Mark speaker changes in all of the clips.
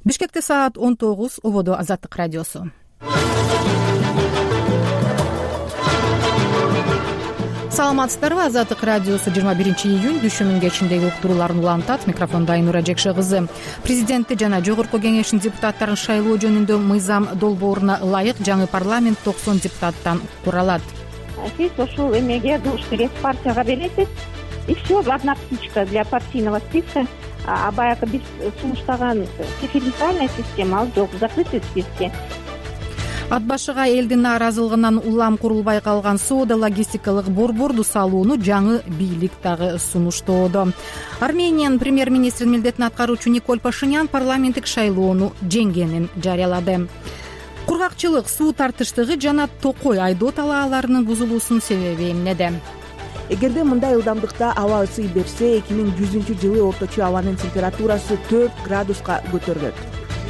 Speaker 1: Бишкекте саат 19, ободо Азаттык радиосу. Саламатсыздарбы? Азаттык радиосу 21-июнь дүшүмүн кечиндеги уктурууларын улантат. Микрофондо Айнура Жекше кызы. Президентти жана жогорку кеңештин депутаттарын шайлоо жөнүндө мыйзам долбооруна ылайык жаңы парламент 90 депутаттан куралат.
Speaker 2: Сиз ушул эмеге душ партияга бересиз, и все, одна птичка для партийного списка. А баягы биз сунуштаган преференциальная система ал жок, закрытый списке.
Speaker 1: Ат башыга элдин нааразылыгынан улам курулбай калган соода логистикалык борборду салууну жаңы бийлик дагы сунуштоодо. Армениянын премьер-министринин милдетин аткаруучу Николь Пашинян парламенттик шайлоону жеңгенин жарыялады. Кургакчылык, суу тартыштыгы жана токой айдоо талааларынын бузулуусунун себеби эмнеде?
Speaker 3: Эгерде мындай ылдамдыкта аба ысый берсе, 2100-жылы орточо абанын температурасы 4 градуска көтөрүлөт.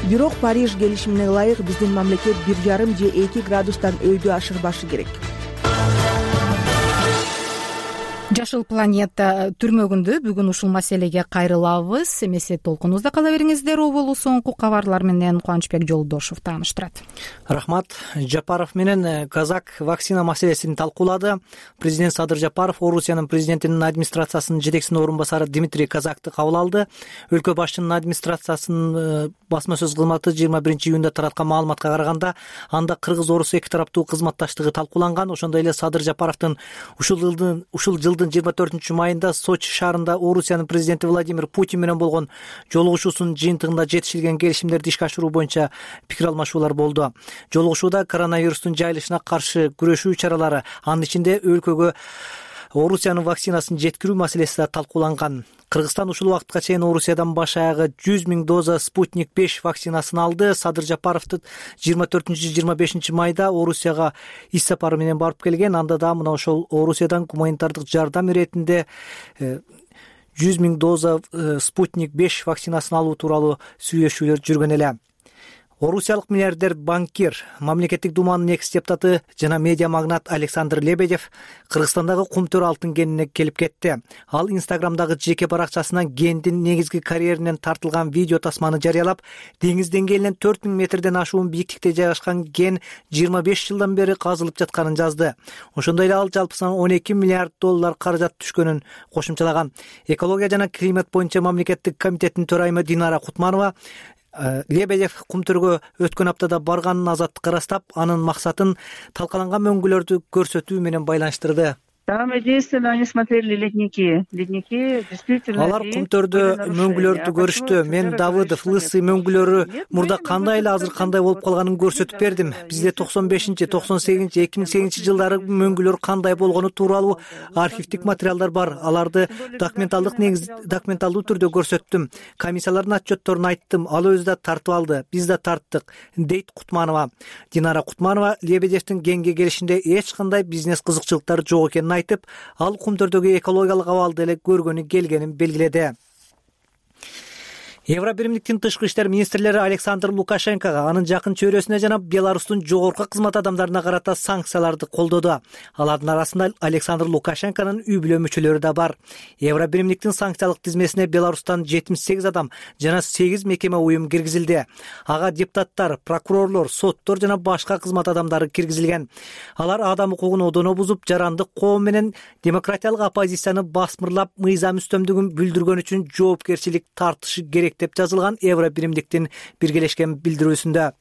Speaker 3: Бирок Париж келишимине ылайык биздин мамлекет 1,5 же 2 градустан өйдө ашырбашы керек.
Speaker 1: Жашыл планета түрмөгүндө бүгүн ушул маселеге кайрылабыз. Эмесе толкунубузда кала бериңиздер. Оболу соңку кабарлар менен Кубанычбек Жолдошов тааныштырат.
Speaker 4: Рахмат. Жапаров менен Казак вакцина маселесин талкуулады. Президент Садыр Жапаров Орусиянын президентинин администрациясынын жетекчисинин орун басары Дмитрий Казакты кабыл алды. Өлкө башчынын администрациясынын басма сөз кызматы 21-июнда тараткан маалыматка караганда, анда кыргыз-орус эки тараптуу кызматташтыгы талкууланган. Ошондой эле Садыр Жапаровдун ушул жылдын 24-майында Сочи шаарында Орусиянын президенти Владимир Путин менен болгон жолугушуусунун жыйынтыгында жетишилген келишимдерди ишке ашыруу боюнча пикир алмашуулар болду. Жолугушууда коронавирустун жайылышына каршы күрөшүү чаралары, анын ичинде өлкөгө Орусиянын вакцинасын жеткирүү маселеси да талкууланган. Кыргызстан ушул убакытка чейин Орусиядан баш аягы 100 000 доза Спутник 5 вакцинасын алды. Садыр Жапаров 24-25 майда Орусияга иш сапары менен барып келген. Анда да мына ошол Орусиядан гуманитардык жардам иретинде 100 000 доза Спутник 5 вакцинасын алуу тууралуу сүйлөшүүлөр жүргөн эле. Орусиялык миллиардер банкир, мамлекеттик думанын экс-депутаты жана медиа магнат Александр Лебедев Кыргызстандагы кумтөр алтын кенине келип кетти. Ал Инстаграмдагы жеке баракчасынан кендин негизги карьеринен тартылган видео тасманы жарыялап, деңиз деңгээлинен 4000 метрден ашуун бийиктикте жайгашкан кен 25 жылдан бери казылып жатканын жазды. Ошондой эле ал жалпысынан 12 миллиард доллар каражат түшкөнүн кошумчалаган. Экология жана климат боюнча мамлекеттик комитеттин төрайымы Динара Кутманова Лебедев кумтөргө өткөн аптада барганын Азаттыкка ырастап, анын максатын талкаланган мөңгүлөрдү көрсөтүү менен байланыштырды.
Speaker 5: Там единственно они смотрели ледники. Ледники действительно.
Speaker 4: Алар кумтөрдө мөңгүлөрдү көрүштү. Мен Давыдов, Лысый мөңгүлөрү мурда кандай эле азыр кандай болуп калганын көрсөтүп бердим. Бизде 95, 98, 2008 жылдары мөңгүлөр кандай болгону тууралуу архивдик материалдар бар. Аларды документалдуу түрдө көрсөттүм. Комиссиялардын отчетторун айттым. Ал өзү да тартып алды. Биз да тарттык, дейт Кутманова. Динара Кутманова Лебедевдин кенге келишинде эч кандай бизнес кызыкчылыктары жок экенин айтып, ал кумтөрдөгү экологиялык абалды эле көргөнү келгенин белгиледи. Евробиримдиктин тышкы иштер министрлери Александр Лукашенкого, анын жакын чөйрөсүнө жана Беларустун жогорку кызмат адамдарына карата санкцияларды колдоду. Алардын арасында Александр Лукашенконун үй бүлө мүчөлөрү да бар. Евробиримдиктин санкциялык тизмесине Беларустан 78 адам жана 8 мекеме уюм киргизилди. Ага депутаттар, прокурорлор, соттор жана башка кызмат адамдары киргизилген. Алар адам укугун одоно бузуп, жарандык коом менен демократиялык оппозицияны басмырлап, мыйзам үстөмдүгүн бүлдүргөн үчүн жоопкерчилик тартышы керек деп жазылган Евробиримдиктин биргелешкен билдирүүсүндө.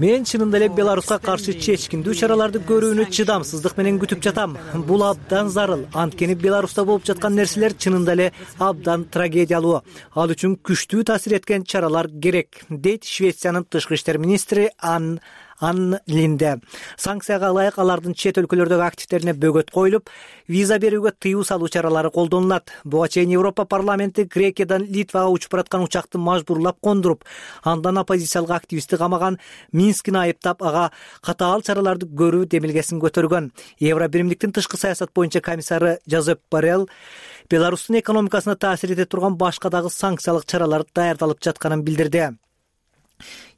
Speaker 4: Мен чынында эле Беларуска каршы чечкиндүү чараларды көрүүнү чыдамсыздык менен күтүп жатам. Бул абдан зарыл. Анткени Беларуста болуп жаткан нерселер чынында эле абдан трагедиялуу. Ал үчүн күчтүү таасир эткен чаралар керек, дейт Швециянын тышкы иштер министри Анн Линде. Санкцияга ылайык алардын чет өлкөлөрдөгү активдерине бөгөт коюлуп, виза берүүгө тыюу салуу чаралары колдонулат. Буга чейин Европа парламенти Грекиядан Литвага учуп бараткан учакты мажбурлап кондуруп, андан оппозициялык активистти камаган Минскини айыптап, ага катаал чараларды көрүү демилгесин көтөргөн. Евробиримдиктин тышкы саясат боюнча комиссары Жозеп Боррелл Беларустун экономикасына таасир эте турган башка дагы санкциялык чаралар даярдалып жатканын билдирди.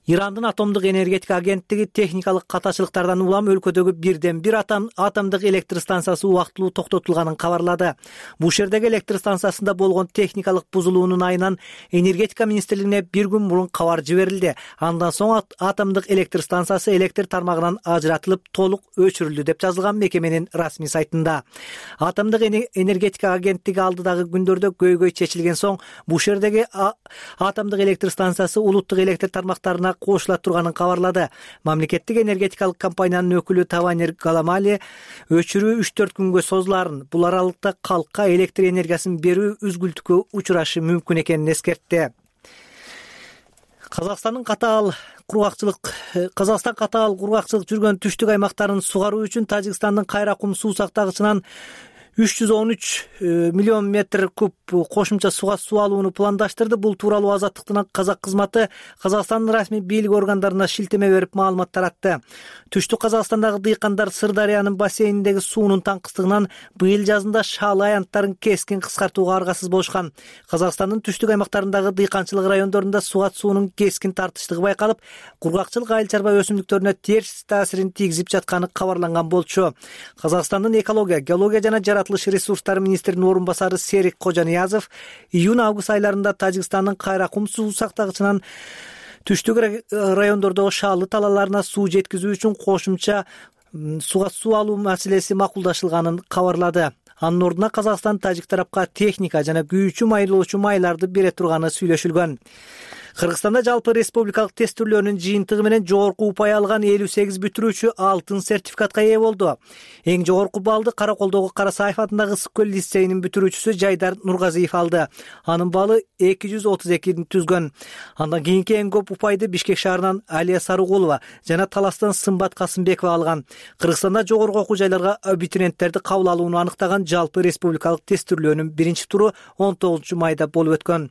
Speaker 4: Ирандын атомдук энергетика агенттиги техникалык катачылыктардан улам өлкөдөгү бирден бир атомдук электр станциясы убактылуу токтотулганын кабарлады. Бушердеги электр станциясында болгон техникалык бузулуунун айынан энергетика министрлигине бир күн мурун кабар жиберилди. Андан соң атомдук электр станциясы электр тармагынан ажыратылып, толук өчүрүлдү деп жазылган мекеменин расмий сайтында. Атомдук энергетика агенттиги алдыдагы күндөрдө көйгөй чечилген соң Бушердеги атомдук электр станциясы улуттук электр тармактарына кошула турганын кабарлады. Мамлекеттик энергетикалык компаниянын өкүлү Таванир Галамали өчүрүү 3-4 күнгө созуларын, бул аралыкта калкка электр энергиясын берүү үзгүлтүккө учурашы мүмкүн экенин эскертти. Казакстан катаал кургакчылык жүргөн түштүк аймактарын сугаруу үчүн Тажикстандын Кайракум суу сактагычынан 313 миллион метр куб кошумча сууга суу алууну пландаштырды. Бул тууралуу Азаттыктын казак кызматы Казакстандын расмий бийлик органдарына шилтеме берип маалымат таратты. Түштүк Казакстандагы дыйкандар Сырдарыянын бассейниндеги суунун таңкыстыгынан быйыл жазында шаалы аянттарын кескин кыскартууга аргасыз болушкан. Казакстандын түштүк аймактарындагы дыйканчылык райондорунда сугат суунун кескин тартыштыгы байкалып, кургакчылык айыл чарба өсүмдүктөрүнө терс таасирин тийгизип жатканы кабарланган болчу. Казакстандын экология, геология жана жаратылыш ресурстары министринин орун басары Серик Кожаниязов июнь-август айларында Тажикстандын Кайракум суу сактагычынан түштүк райондордогу шаалы талааларына суу жеткизүү үчүн кошумча сууга суу алуу маселеси макулдашылганын кабарлады. Анын ордуна Казакстан тажик тарапка техника жана күйүүчү майлоочу майларды бере турганы сүйлөшүлгөн. Кыргызстанда жалпы республикалык тестүрлөөнүн жыйынтыгы менен жогорку упай алган 58 бүтүрүүчү алтын сертификатка ээ болду. Эң жогорку баллды Караколдогу Карасаев атындагы Ысык көл лицейинин бүтүрүүчүсү Жайдар Нургазиев алды. Анын баллы 232 түзгөн. Андан кийинки эң көп упайды Бишкек шаарынан Алия Сарыгулова жана Таластан Сымбат Касымбекова алган. Кыргызстанда жогорку окуу жайларга абитуриенттерди кабыл алууну аныктаган жалпы республикалык тестүрлөөнүн биринчи туру 19 майда болуп өткөн.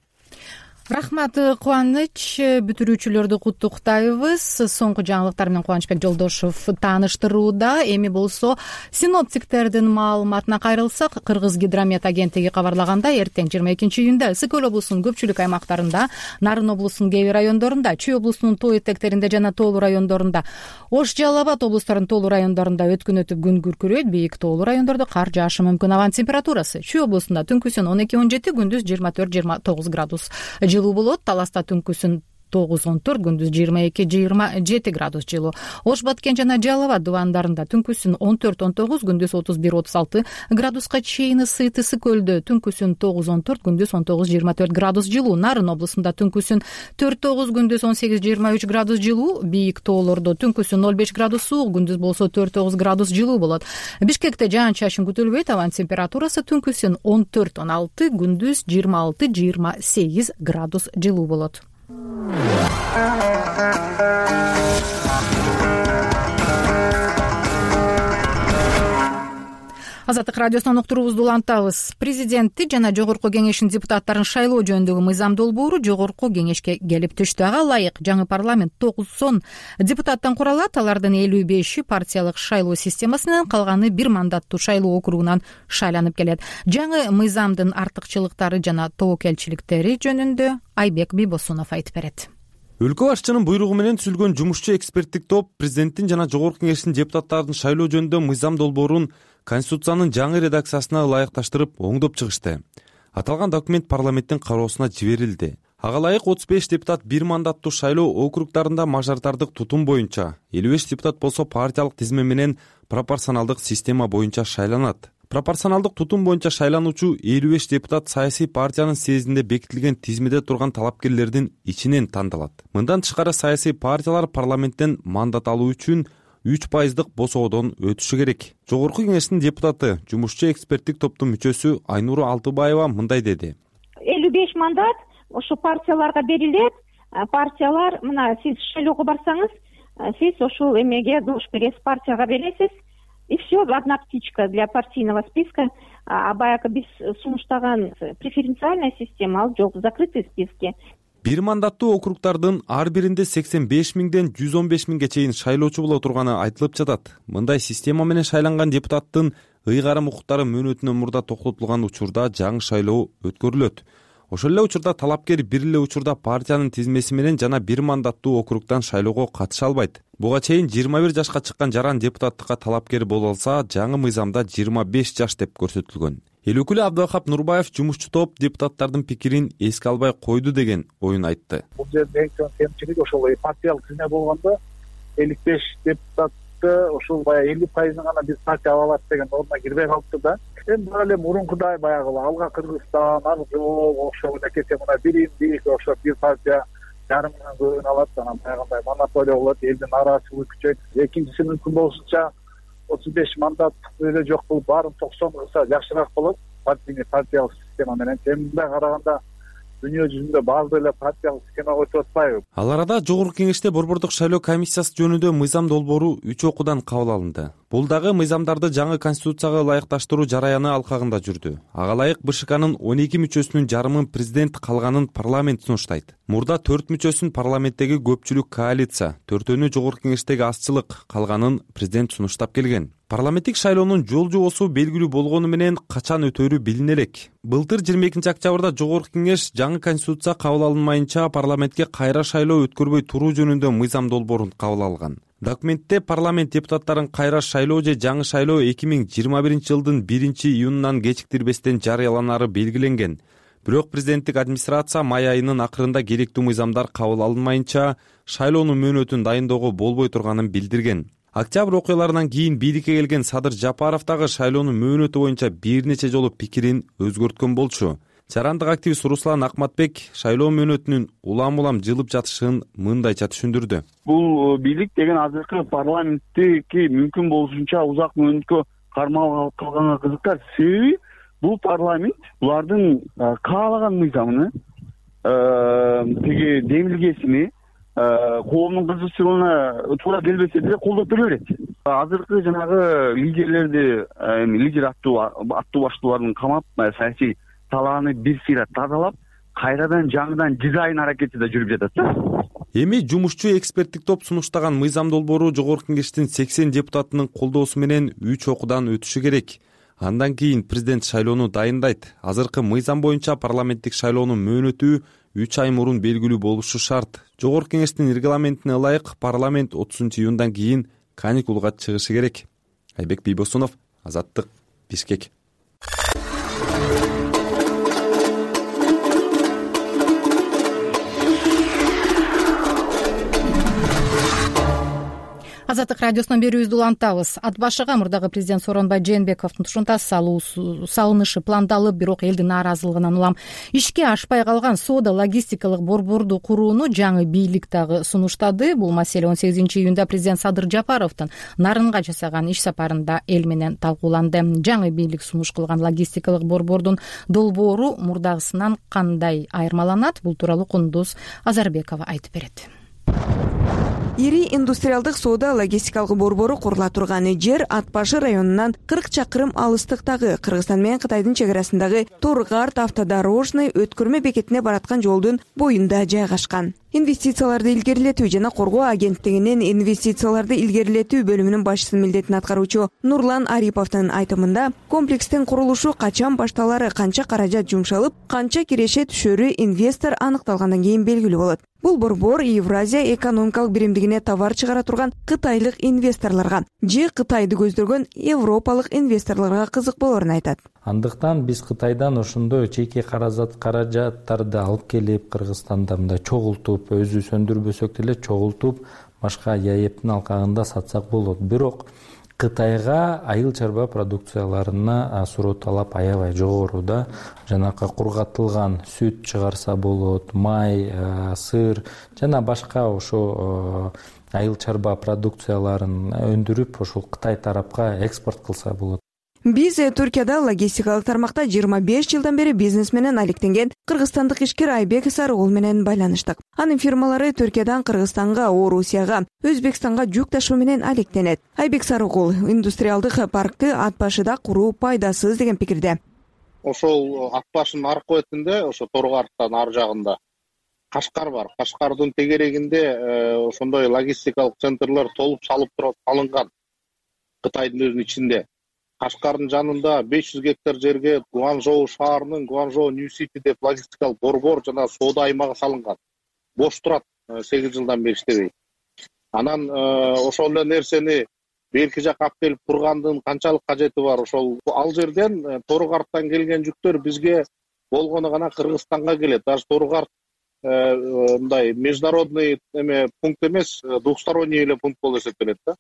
Speaker 1: Рахмат, Кубаныч. Бүтүрүүчүлөрдү куттуктайбыз. Соңку жаңылыктар менен Кубанычбек Жолдошов тааныштырууда. Эми болсо синоптиктердин маалыматына кайрылсак, Кыргыз гидромет агенттиги кабарлагандай, эртең 22 июнда Ысык көл облусунун көпчүлүк аймактарында, Нарын облусунун кээ бир райондорунда, Чүй облусунун тоо этектеринде жана тоолуу райондорунда, Ош, Жалал Абад облустарынын тоолуу райондорунда өткүн өтүп күн күркүрөйт, бийик тоолуу райондордо кар жаашы мүмкүн. Абанын температурасы Чүй облусунда түнкүсүн 12-17, күндүз 24-29 градус жылуу болот. Таласта түнкүсүн 9-14, күндүз 22-27 градус жылуу. Ош, Баткен жана Жалал Абад дубандарында түнкүсүн 14-19, күндүз 31-36 градуска чейин ысыйт. Ысык көлдө түнкүсүн 9-14, күндүз 19-24 градус жылуу. Нарын облусунда түнкүсүн 4-9, күндүз 18-23 градус жылуу. Бийик тоолордо түнкүсүн 0-5 градус суук, күндүз болсо 4-9 градус жылуу болот. Бишкекте жаан-чачын күтүлбөйт. Абанын температурасы түнкүсүн 14-16, күндүз 26-28 градус жылуу болот. Азаттык радиосунан уктуруубузду улантабыз. Президентти жана жогорку кеңештин депутаттарын шайлоо жөнүндөгү мыйзам долбоору жогорку кеңешке келип түштү. Ага ылайык жаңы парламент 90 депутаттан куралат. Алардын 55-и партиялык шайлоо системасы менен, калганы бир мандаттуу шайлоо округунан шайланып келет. Жаңы мыйзамдын артыкчылыктары жана тобокелчиликтери жөнүндө Айбек Бибосунов айтып берет.
Speaker 6: Өлкө башчынын буйругу менен түзүлгөн жумушчу эксперттик топ президенттин жана жогорку кеңештин депутаттарын шайлоо жөнүндө мыйзам долбоорун Конституциянын жаңы редакциясына ылайыкташтырып оңдоп чыгышты. Аталган документ парламенттин кароосуна жиберилди. Ага ылайык 35 депутат бир мандаттуу шайлоо округдарында мажоритардык тутум боюнча, 55 депутат болсо партиялык тизме менен пропорционалдык система боюнча шайланат. Пропорционалдык тутум боюнча шайлануучу 55 депутат саясий партиянын съездинде бекитилген тизмеде турган талапкерлердин ичинен тандалат. Мындан тышкары саясий партиялар парламенттен мандат алуу үчүн 3% босоодон өтүшү керек. Жогорку кеңештин депутаты, жумушчу эксперттик топтун мүчөсү Айнуру Алтыбаева мындай деди.
Speaker 2: 55 мандат ошо партияларга берилет. Партиялар, мына сиз шайлоого барсаңыз, сиз ошол эмеге душ бересиз, партияга бересиз. И все, одна птичка для партийного списка. А баягы биз сунуштаган преференциальная система ал жок, закрытый списки.
Speaker 6: Бир мандаттуу округдардын ар биринде 85 миңден 115 миңге чейин шайлоочу боло турганы айтылып жатат. Мындай система менен шайланган депутаттын ыйгарым укуктары мөөнөтүнөн мурда токтотулган учурда жаңы шайлоо өткөрүлөт. Ошол эле учурда талапкер бир эле учурда партиянын тизмеси менен жана бир мандаттуу округдан шайлоого катыша албайт. Буга чейин 21 жашка чыккан жаран депутаттыкка талапкер боло алса, жаңы мыйзамда 25 жаш деп көрсөтүлгөн. Эл өкүлү Абдывахап Нурбаев жумушчу топ депутаттардын пикирин эске албай койду деген оюн айтты.
Speaker 7: Бул жерде эң чоң кемчилик ошол партиялык тизме болгондо 55 депутатты ошол баягы 50% гана биз партия ала алат деген норма кирбей калыптыр да. Эми бул эле мурункудай баягы алга Кыргызстан, ар жол ошол элекете мына биримдик ошо бир партия жарымынан көбүн алат, анан баягындай монополия болот, элдин нааразычылыгы күчөйт. Экинчиси мүмкүн болушунча 35 мандат эле жок кылып баарын 90 кылса жакшыраак болот партиялык система менен. Мындай караганда дүйнө жүзүндө баардык эле партиялык система өтүп атпайбы?
Speaker 6: Ал арада Жогорку Кеңеште Борбордук шайлоо комиссиясы жөнүндө мыйзам долбоору 3 окуудан кабыл алынды. Бул дагы мыйзамдарды жаңы конституцияга ылайыкташтыруу жараяны алкагында жүрдү. Ага ылайык БШКнын 12 мүчөсүнүн жарымын президент, калганын парламент сунуштайт. Мурда 4 мүчөсүн парламенттеги көпчүлүк коалиция, 4-өнү Жогорку Кеңештеги азчылык, калганын президент сунуштап келген. Парламенттик шайлоонун жол жобосу белгилүү болгону менен качан өтөрү билине элек. Былтыр 22 октябрда Жогорку Кеңеш жаңы конституция кабыл алынмайынча парламентке кайра шайлоо өткөрбөй туруу жөнүндө мыйзам долбоорун кабыл алган. Документте парламент депутаттарын кайра шайлоо же жаңы шайлоо 2021 жылдын 1-июнунан кечиктирбестен жарыяланары белгиленген. Бирок президенттик администрация май айынын акырында керектүү мыйзамдар кабыл алынмайынча шайлоонун мөөнөтүн дайындоого болбой турганын билдирген. Октябрь окуяларынан кийин бийликке келген Садыр Жапаров дагы шайлоонун мөөнөтү боюнча бир нече жолу пикирин өзгөрткөн болчу. Жарандык активист Руслан Акматбек шайлоо мөөнөтүнүн улам жылып жатышын мындайча түшүндүрдү.
Speaker 8: Бул бийлик деген азыркы парламенттики мүмкүн болушунча узак мөөнөткө кармалып калганга кызыктар. Себеби бул парламент булардын каалаган мыйзамын, тиги демилгесини коомдун кызыкчылыгына туура келбесе деле колдоп бере берет. Азыркы жанагы лидерлерди, лидер аттуу баштуулардын камап, саясий талааны бир сыйра тазалап, кайрадан жаңыдан дизайн аракети да жүрүп жатат да.
Speaker 6: Эми жумушчу эксперттик топ сунуштаган мыйзам долбоору Жогорку Кеңештин 80 депутатынын колдоосу менен 3 окуудан өтүшү керек. Андан кийин президент шайлоону дайындайт. Азыркы мыйзам боюнча парламенттик шайлоонун мөөнөтү 3 ай мурун белгилүү болушу шарт. Жогорку Кеңештин регламентине ылайык парламент 30-июндан кийин каникулга чыгышы керек. Айбек Бийбосунов, Азаттык, Бишкек.
Speaker 1: Азаттык радиосунан берүүбүздү улантабыз. Ат башыга мурдагы президент Сооронбай Жээнбековдун тушунта салынышы пландалып, бирок элдин нааразылыгынан улам ишке ашпай калган соода логистикалык борборду курууну жаңы бийлик дагы сунуштады. Бул маселе 18-июнда президент Садыр Жапаровдун Нарынга жасаган иш сапарында эл менен талкууланды. Жаңы бийлик сунуш кылган логистикалык борбордун долбоору мурдагысынан кандай айырмаланат? Бул тууралуу Кундуз Азарбекова айтып берет.
Speaker 3: Ири индустриалдык соода логистикалык борбору курула турган жер Ат башы районунан 40 чакырым алыстыктагы Кыргызстан менен Кытайдын чек арасындагы Торгарт автодорожный өткөрмө бекетине бараткан жолдун боюнда жайгашкан. Инвестицияларды илгерилетүү жана коргоо агенттигинин инвестицияларды илгерилетүү бөлүмүнүн башчысынын милдетин аткаруучу Нурлан Ариповдун айтымында, комплекстин курулушу качан башталары, канча каражат жумшалып, канча киреше түшөрү инвестор аныкталгандан кийин белгилүү болот. Бул борбор Евразия экономикалык биримдигине товар чыгара турган кытайлык инвесторлорго же Кытайды көздөргөн европалык инвесторлорго кызык болоорун айтат.
Speaker 9: Андыктан биз Кытайдан ошондой чейки каражаттарды алып келип, Кыргызстанда мындай чогултуп, өзү сөндүрбөсөк деле чогултуп, башка ЯЭПтин алкагында сатсак болот. Бирок Кытайга айыл чарба продукцияларына суроо талап аябай жогору да. Жанакы кургатылган сүт чыгарса болот, май, сыр жана башка ошо айыл чарба продукцияларын өндүрүп, ошол Кытай тарапка экспорт кылса болот.
Speaker 3: Биз Түркияда логистикалык тармакта 25 жылдан бери бизнес менен алектенген кыргызстандык ишкер Айбек Сарыгул менен байланыштык. Анын фирмалары Түркиядан Кыргызстанга, Орусияга, Өзбекстанга жүк ташуу менен алектенет. Айбек Сарыгул индустриалдык паркты Ат башыда куруу пайдасыз деген пикирде.
Speaker 10: Ошол Ат башынын аркы бетинде, ошо Торгарттан ар жагында Кашкар бар. Кашкардын тегерегинде ошондой логистикалык центрлер толуп салып туруп алынган Кытайдын өзүнүн ичинде. Кашкардын жанында 500 гектар жерге Гуанчжоу шаарынын Гуанчжоу New City деп логистикалык борбор жана соода аймагы салынган. Бош турат, 8 жылдан бери иштебейт. Анан ошол эле нерсени берки жакка алып келип тургандын канчалык кажети бар? Ошол ал жерден Торугарттан келген жүктөр бизге болгону гана Кыргызстанга келет. Даже Торугарт мындай международный пункт эмес, двухсторонний эле пункт болуп эсептелет да.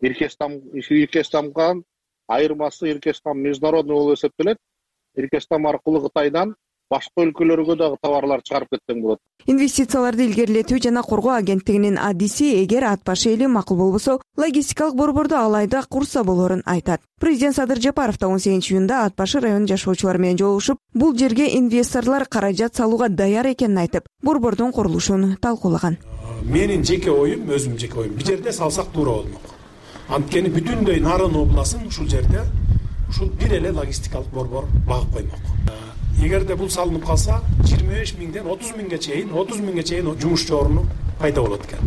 Speaker 10: Иркестамган айырмасы Иркестам международный болуп эсептелет. Иркестам аркылуу Кытайдан башка өлкөлөргө дагы товарлар чыгарып кетсең болот.
Speaker 3: Инвестицияларды илгерилетүү жана коргоо агенттигинин адиси эгер ат башы эли макул болбосо, логистикалык борборду алайда курса болорун айтат. Президент Садыр Жапаров да 18-июнда ат башы районунун жашоочулары менен жолугушуп, бул жерге инвесторлор каражат салууга даяр экенин айтып, борбордун курулушун талкуулаган.
Speaker 11: Менин жеке оюм, өзүм жеке оюм, бул жерде салсак туура болмок. Анткени бүтүндөй Нарын областын ушул жерде ушул бир эле логистикалык борбор багып коймок. Эгерде бул салынып калса, 25 миңден 30 миңге чейин жумушчу орну пайда болот экен.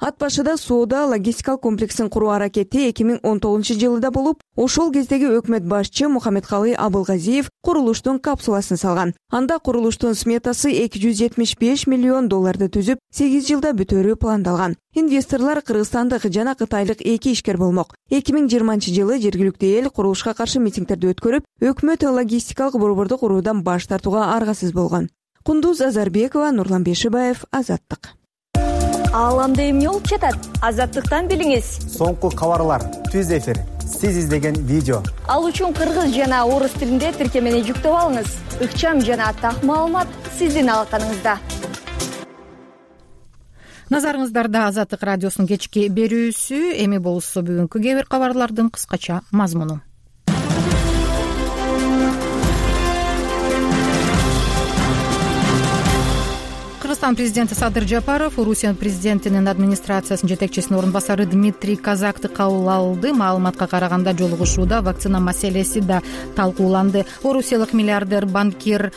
Speaker 3: Ат башыда соода логистикалык комплексин куруу аракети 2019-жылда болуп, ошол кездеги өкмөт башчы Мухаммедкалый Абылгазиев курулуштун капсуласын салган. Анда курулуштун сметасы $275 миллион түзүп, 8 жылда бүтөрү пландалган. Инвесторлор кыргызстандык жана кытайлык 2 ишкер болмок. 2020-жылы жергиликтүү эл курулушка каршы митингдерди өткөрүп, өкмөт логистикалык борборду куруудан баш тартууга аргасыз болгон. Кундуз Азарбекова, Нурлан Бешибаев, Азаттык.
Speaker 12: Ааламда эмне болуп жатат? Азаттыктан билиңиз.
Speaker 13: Соңку кабарлар, түз эфир, сиз издеген видео.
Speaker 12: Ал үчүн кыргыз жана орус тилинде тиркемени жүктөп алыңыз. Ыкчам жана так маалымат сиздин алаканыңызда.
Speaker 1: Назарыңыздарда Азаттык радиосунун кечки берүүсү. Эми болсо бүгүнкү кээ бир кабарлардын кыскача мазмуну. Кыргызстан президенти Садыр Жапаров Орусия президентинин администрациясынын жетекчисинин орун басары Дмитрий Казакты кабыл алды. Маалыматка караганда жолугушууда вакцина маселеси да талкууланды. Орусиялык миллиардер банкир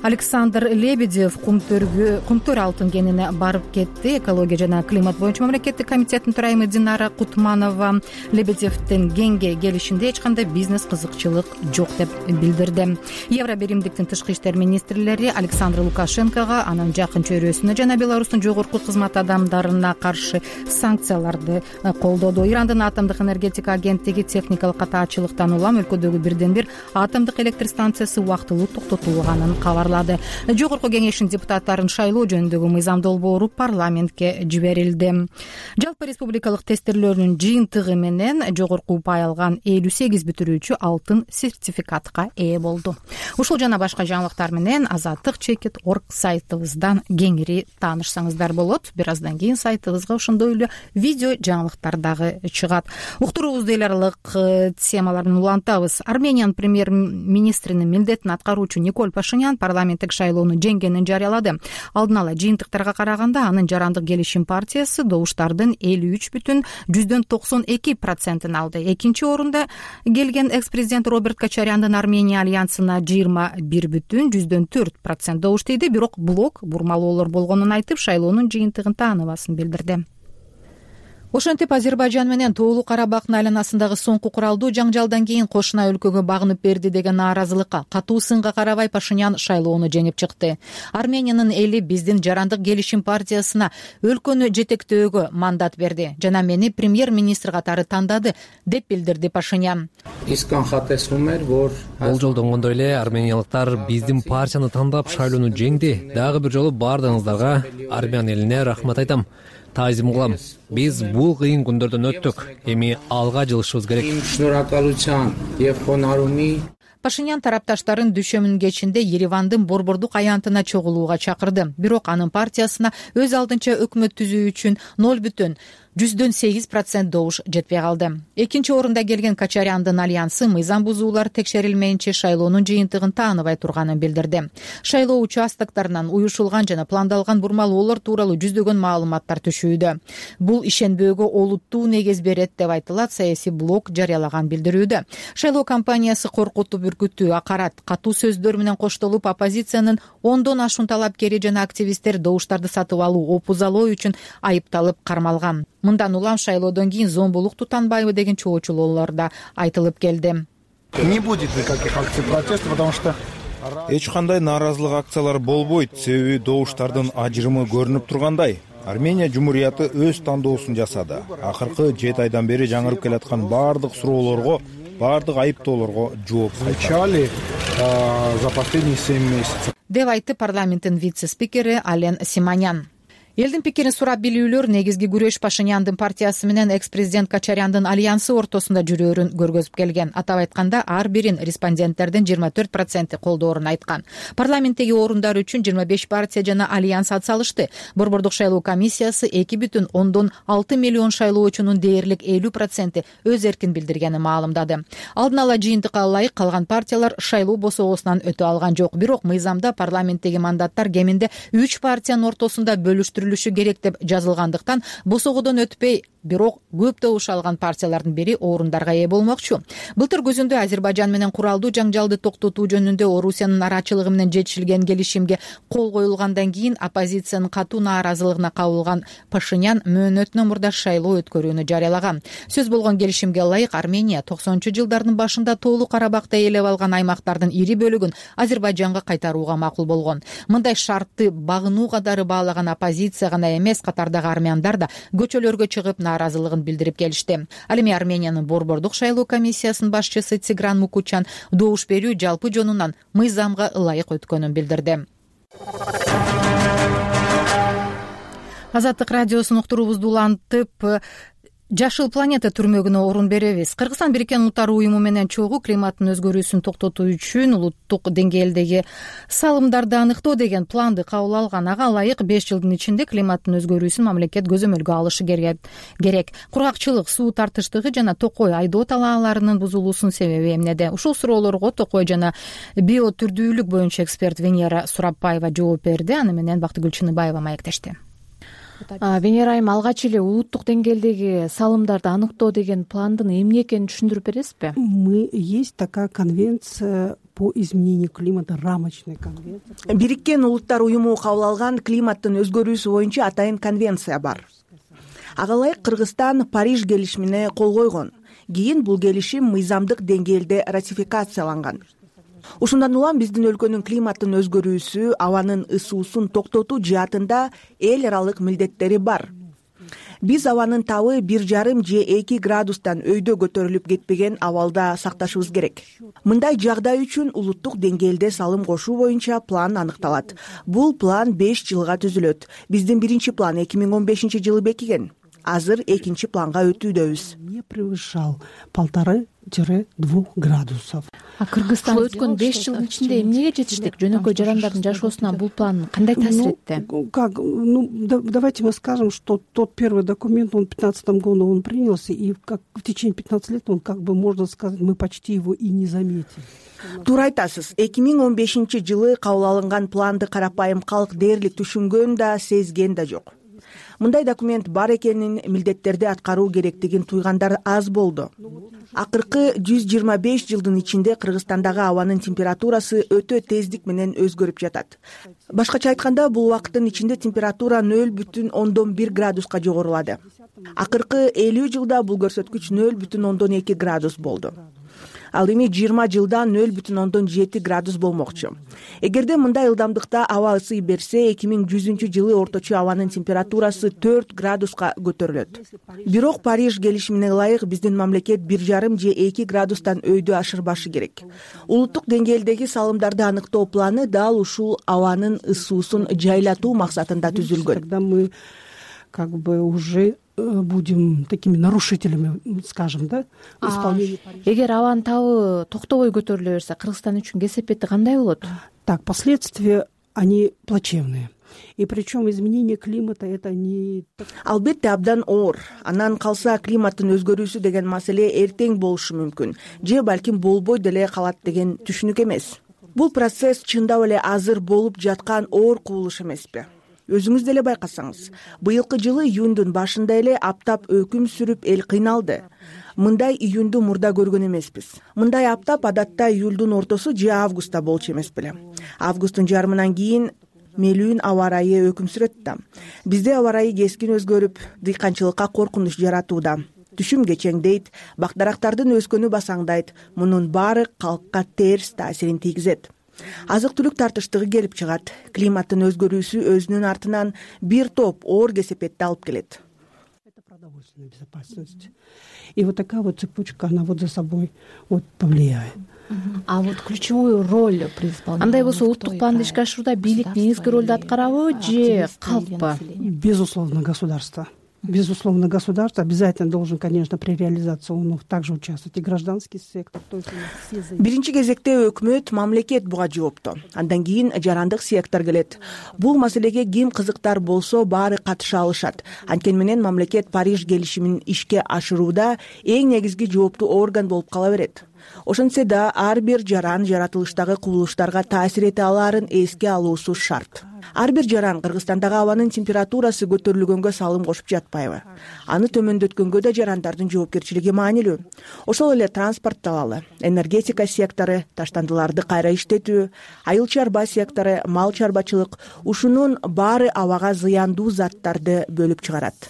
Speaker 1: Александр Лебедев кумтөр алтын кенине барып кетти. Экология жана климат боюнча мамлекеттик комитеттин төрайымы Динара Кутманова Лебедевдин кенге келишинде эч кандай бизнес кызыкчылык жок деп билдирди. Евро биримдиктин тышкы иштер министрлери Александр Лукашенкого, анын жакын чөйрөсүнө жана Беларустун жогорку кызмат адамдарына каршы санкцияларды колдоду. Ирандын атомдук энергетика агенттиги техникалык катаачылыктан улам өлкөдөгү бирден бир атомдук электр станциясы убактылуу токтотулганын кабарлады. Жогорку кеңештин депутаттарын шайлоо жөнүндөгү мыйзам долбоору парламентке жиберилди. Жалпы республикалык тестирлөөрдүн жыйынтыгы менен жогорку упай алган 58 бүтүрүүчү алтын сертификатка ээ болду. Ушул жана башка жаңылыктар менен Азаттык.org сайтыбыздан кеңири таанышсаңыздар болот. Бир аздан кийин сайтыбызга ошондой эле видео жаңылыктар дагы чыгат. Уктуруубузду эл аралык темаларын улантабыз. Армениянын премьер-министринин милдетин аткаруучу Николь Пашинян парламенттик шайлоону жеңгенин жарыялады. Алдын ала жыйынтыктарга караганда анын жарандык келишим партиясы добуштардын 53,92% алды. Экинчи орунда келген экс-президент Роберт Кочаряндын Армения альянсына 21,4% добуш тийди. Бирок блок бурмалоолор болгонун айтып, шайлоонун жыйынтыгын тааныбасын билдирди. Ошентип Азербайжан менен Тоолуу Карабактын айланасындагы соңку куралдуу жаңжалдан кийин кошуна өлкөгө багынып берди деген нааразылыкка катуу сынга карабай Пашинян шайлоону жеңип чыкты. Армениянын эли биздин жарандык келишим партиясына өлкөнү жетектөөгө мандат берди жана мени премьер-министр катары тандады деп билдирди Пашинян.
Speaker 14: Болжолдонгондой эле армениялыктар биздин партияны тандап шайлоону жеңди. Дагы бир жолу баардыгыңыздарга Армян элине рахмат айтам. Таазим кылам. Биз бул кыйын күндөрдөн өттүк. Эми алга жылышыбыз керек.
Speaker 1: Пашинян тарапташтарын дүйшөмүнүн кечинде Еревандын борбордук аянтына чогулууга чакырды. Бирок анын партиясына өз алдынча өкмөт түзүү үчүн 0,8% добуш жетпей калды. Экинчи орунда келген Кочаряндын альянсы мыйзам бузуулар текшерилмейинче шайлоонун жыйынтыгын тааныбай турганын билдирди. Шайлоо участоктарынан уюшулган жана пландалган бурмалоолор тууралуу жүздөгөн маалыматтар түшүүдө. Бул ишенбөөгө олуттуу негиз берет деп айтылат саясий блок жарыялаган билдирүүдө. Шайлоо кампаниясы коркутуп үркүттүү, акарат, катуу сөздөр менен коштолуп, оппозициянын 10дон ашуун талапкери жана активисттер добуштарды сатып алуу, опузалоо үчүн айыпталып кармалган. Мындан улам шайлоодон кийин зомбулук тутанбайбы деген чоочулоолор да айтылып келди.
Speaker 15: Не будет никаких акций протеста, потому что
Speaker 16: эч кандай нааразылык акциялар болбойт, себеби добуштардын ажырымы көрүнүп тургандай. Армения жумурияты өз тандоосун жасады. Акыркы 7 айдан бери жаңырып келаткан баардык суроолорго, баардык айыптоолорго жооп
Speaker 15: отвечали за последние 7 месяцев,
Speaker 1: деп айтты парламенттин вице-спикери Ален Симонян. Элдин пикирин сурап билүүлөр негизги күрөш Пашиняндын партиясы менен экс-президент Качаряндын альянсы ортосунда жүрөөрүн көргөзүп келген. Атап айтканда, ар бирин респонденттердин 24% колдоорун айткан. Парламенттеги орундар үчүн 25 партия жана альянс ат салышты. Борбордук шайлоо комиссиясы 2,6 миллион шайлоочунун дээрлик 50% өз эркин билдиргенин маалымдады. Алдын ала жыйынтыкка ылайык калган партиялар шайлоо босогосунан өтө алган жок. Бирок мыйзамда парламенттеги мандаттар кеминде 3 партиянын ортосунда бөлүштүрүлүшү керек деп жазылгандыктан босогодон өтпөй, бирок көп добуш алган партиялардын бири орундарга ээ болмокчу. Былтыр күзүндө Азербайжан менен куралдуу жаңжалды токтотуу жөнүндө Орусиянын нарачылыгы менен жетишилген келишимге кол коюлгандан кийин оппозициянын катуу нааразылыгына кабылган Пашинян мөөнөтүнөн мурда шайлоо өткөрүүнү жарыялаган. Сөз болгон келишимге ылайык Армения 90-жылдардын башында Тоолуу Карабакта ээлеп алган аймактардын ири бөлүгүн Азербайжанга кайтарууга макул болгон. Мындай шартты багынуу катары баалаган оппозиция гана эмес, катардагы армяндар да көчөлөргө чыгып нааразылыгын билдирип келишти. Ал эми Армениянын борбордук шайлоо комиссиясынын башчысы Тигран Мукучан добуш берүү жалпы жонунан мыйзамга ылайык өткөнүн билдирди. Азаттык радиосунун уктуруубузду улантып, Жашыл планета түрмөгүнө орун беребиз. Кыргызстан Бириккен Улуттар уюму менен чогуу климаттын өзгөрүүсүн токтотуу үчүн улуттук деңгээлдеги салымдарды аныктоо деген планды кабыл алган. Ага ылайык 5 жылдын ичинде климаттын өзгөрүүсүн мамлекет көзөмөлгө алышы керек. Кургакчылык, суу тартыштыгы жана токой айдоо талааларынын бузулуусунун себеби эмнеде? Ушул суроолорго токой жана биотүрдүүлүк боюнча эксперт Венера Сурапбаева жооп берди. Аны менен Бактыгүл Чыныбаева маектешти.
Speaker 17: Венера айым, алгач эле улуттук деңгээлдеги салымдарды аныктоо деген пландын эмне экенин түшүндүрүп бересизби?
Speaker 18: Есть такая конвенция по изменению климата, рамочная конвенция.
Speaker 3: Бириккен Улуттар уюму кабыл алган климаттын өзгөрүүсү боюнча атайын конвенция бар. Ага ылайык Кыргызстан Париж келишимине кол койгон. Кийин бул келишим мыйзамдык деңгээлде ратификацияланган. Ушундан улам биздин өлкөнүн климаттын өзгөрүүсү, абанын ысуусун токтотуу жаатында эл аралык милдеттери бар. Биз абанын табы 1,5 же 2 градустан өйдө көтөрүлүп кетпеген абалда сакташыбыз керек. Мындай жагдай үчүн улуттук деңгээлде салым кошуу боюнча план аныкталат. Бул план 5 жылга түзүлөт. Биздин биринчи план 2015 жылы бекиген. Азыр экинчи планга өтүүдөбүз.
Speaker 18: Не превышал 1,5-2 градусов.
Speaker 17: Кыргызстан өткөн 5 жылдын ичинде эмнеге жетиштик? Жөнөкөй жарандардын жашоосуна бул план кандай таасир этти?
Speaker 18: Давайте мы скажем, что тот первый документ, он в 2015 году он принялся, и в течение 15 лет он, можно сказать, мы почти его и не заметили.
Speaker 3: Туура айтасыз. 2015 жылы кабыл алынган планды карапайым калк дээрлик түшүнгөн да, сезген да жок. Мындай документ бар экенин, милдеттерди аткаруу керектигин туйгандар аз болду. Акыркы 125 жылдын ичинде Кыргызстандагы абанын температурасы өтө тездик менен өзгөрүп жатат. Башкача айтканда, бул убакыттын ичинде температура 0,1 градуска жогорулады. Акыркы 50 жылда бул көрсөткүч 0,2 градус болду. Ал эми 20 жылда 0,7 градус болмокчу. Эгерде мындай ылдамдыкта аба ысый берсе, 2100 жылы орточо абанын температурасы 4 градуска көтөрүлөт. Бирок Париж келишимине ылайык биздин мамлекет 1,5 же 2 градустан өйдө ашырбашы керек. Улуттук деңгээлдеги салымдарды аныктоо планы дал ушул абанын ысуусун жайлатуу максатында түзүлгөн.
Speaker 18: Тогда мы уже будем такими нарушителями, скажем, да, исполнения.
Speaker 17: Эгер абанын табы токтобой көтөрүлө берсе, Кыргызстан үчүн кесепети кандай болот?
Speaker 18: Так, последствия, они плачевные. И причем изменение климата это не...
Speaker 3: Албетте абдан оор. Анан калса климаттын өзгөрүүсү деген маселе эртең болушу мүмкүн. Же балким болбой деле калат деген түшүнүк эмес. Бул процесс чындап эле азыр болуп жаткан оор кубулуш эмеспи? Өзүңүз деле байкасаңыз, быйылкы жылы июндун башында эле аптап өкүм сүрүп эл кыйналды. Мындай июнду мурда көргөн эмеспиз. Мындай аптап адатта июлдун ортосу же августта болчу эмес беле. Августтун жарымынан кийин мелүүн аба ырайы өкүм сүрөт да. Бизде аба ырайы кескин өзгөрүп, дыйканчылыкка коркунуч жаратууда. Түшүм кечеңдейт, бакдарактардын өскөнү басаңдайт. Мунун баары калкка терс таасирин тийгизет. Азык-түлүк тартыштыгы келип чыгат. Климаттын өзгөрүүсү өзүнүн артынан бир топ оор кесепетти алып келет.
Speaker 18: Это продовольственная безопасность. И вот такая вот цепочка, она вот за собой вот повлияет.
Speaker 17: А вот ключевую роль при исполнении. Андай болсо улуттук планды ишке ашырууда бийлик негизги ролду аткарабы же калкпы?
Speaker 18: Безусловно, государство. Безусловно, государство обязательно должен, конечно, при реализации он также участвовать и гражданский сектор.
Speaker 3: Биринчи кезекте өкмөт, мамлекет буга жоопту. Андан кийин жарандык сектор келет. Бул маселеге ким кызыктар болсо баары катыша алышат. Анткени менен мамлекет Париж келишимин ишке ашырууда эң негизги жооптуу орган болуп кала берет. Ошентсе да ар бир жаран жаратылыштагы кубулуштарга таасир эте алаарын эске алуусу шарт. Ар бир жаран Кыргызстандагы абанын температурасы көтөрүлгөнгө салым кошуп жатпайбы? Аны төмөндөткөнгө да жарандардын жоопкерчилиги маанилүү. Ошол эле транспорт алалы, энергетика сектору, таштандыларды кайра иштетүү, айыл чарба сектору, мал чарбачылык ушунун баары абага зыяндуу заттарды бөлүп чыгарат.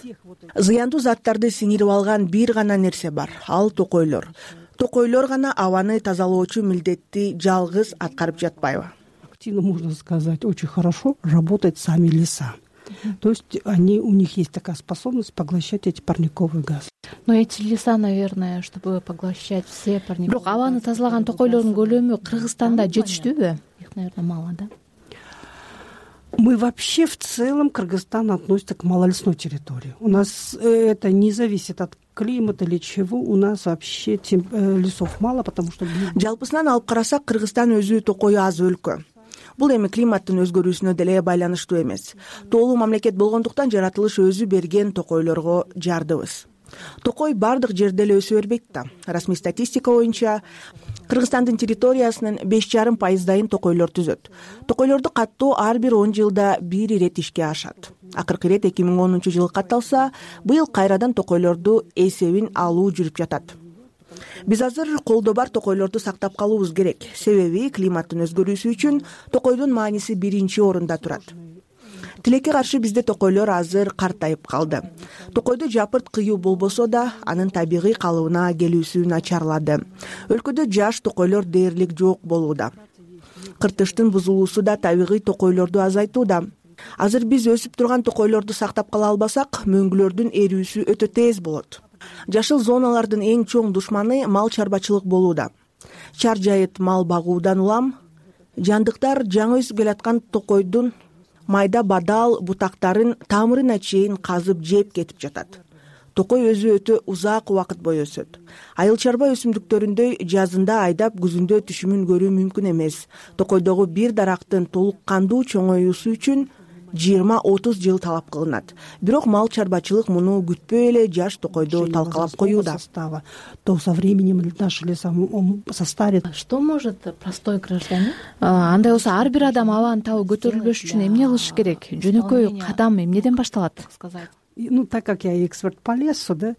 Speaker 3: Зыяндуу заттарды сиңирип алган бир гана нерсе бар, ал токойлор. Токойлор гана абаны тазалоочу милдетти жалгыз аткарып жатпайбы?
Speaker 18: Активно, можно сказать, очень хорошо работают сами леса. То есть у них есть такая способность поглощать эти парниковые газы.
Speaker 17: Но эти леса, наверное, чтобы поглощать все парниковые. Бирок абаны тазалаган токойлордун көлөмү Кыргызстанда жетиштүүбү? Их, наверное, мало, да?
Speaker 18: Мы вообще в целом Кыргызстан относится к малолесной территории. У нас это не зависит от климата или чего. У нас вообще лесов мало, потому что...
Speaker 3: Жалпысынан алып карасак, Кыргызстан өзү токою аз өлкө. Бул эми климаттын өзгөрүүсүнө деле байланыштуу эмес. Тоолуу мамлекет болгондуктан жаратылыш өзү берген токойлорго жардыбыз. Токой бардык жерде эле өсө бербейт да. Расмий статистика боюнча Кыргызстандын территориясынын 5,5% токойлор түзөт. Токойлорду каттоо ар бир 10 жылда бир ирет ишке ашат. Акыркы ирет 2010-жылы катталса, быйыл кайрадан токойлорду эсебин алуу жүрүп жатат. Биз азыр колдо бар токойлорду сактап калуубуз керек. Себеби климаттын өзгөрүүсү үчүн токойдун мааниси биринчи орунда турат. Тилекке каршы бизде токойлор азыр картайып калды. Токойдо жапырт кыюу болбосо да, анын табигый калыбына келүүсү начарлады. Өлкөдө жаш токойлор дээрлик жок болууда. Кыртыштын бузулуусу да табигый токойлорду азайтууда. Азыр биз өсүп турган токойлорду сактап кала албасак, мөңгүлөрдүн эрүүсү өтө тез болот. Жашыл зоналардын эң чоң душманы мал чарбачылык болууда. Чар жайыт мал багуудан улам, жандыктар жаңы өсүп келаткан токойдун майда бадал бутактарын тамырына чейин казып жеп кетип жатат. Токой өзү өтө узак убакыт бою өсөт. Айыл чарба өсүмдүктөрүндөй жазында айдап күзүндө түшүмүн көрүү мүмкүн эмес. Токойдогу бир дарактын толук кандуу чоңоюусу үчүн 20-30 жыл талап кылынат. Бирок мал чарбачылык муну күтпөй эле жаш токойду талкалап коюуда.
Speaker 18: То со временем наши леса состарит.
Speaker 17: Что может простой гражданин? Андай болсо ар бир адам абаны табуу көтөрүлбөш үчүн эмне кылыш керек? Жөнөкөй кадам эмнеден башталат?
Speaker 18: Ну, так как я эксперт по лесу, да,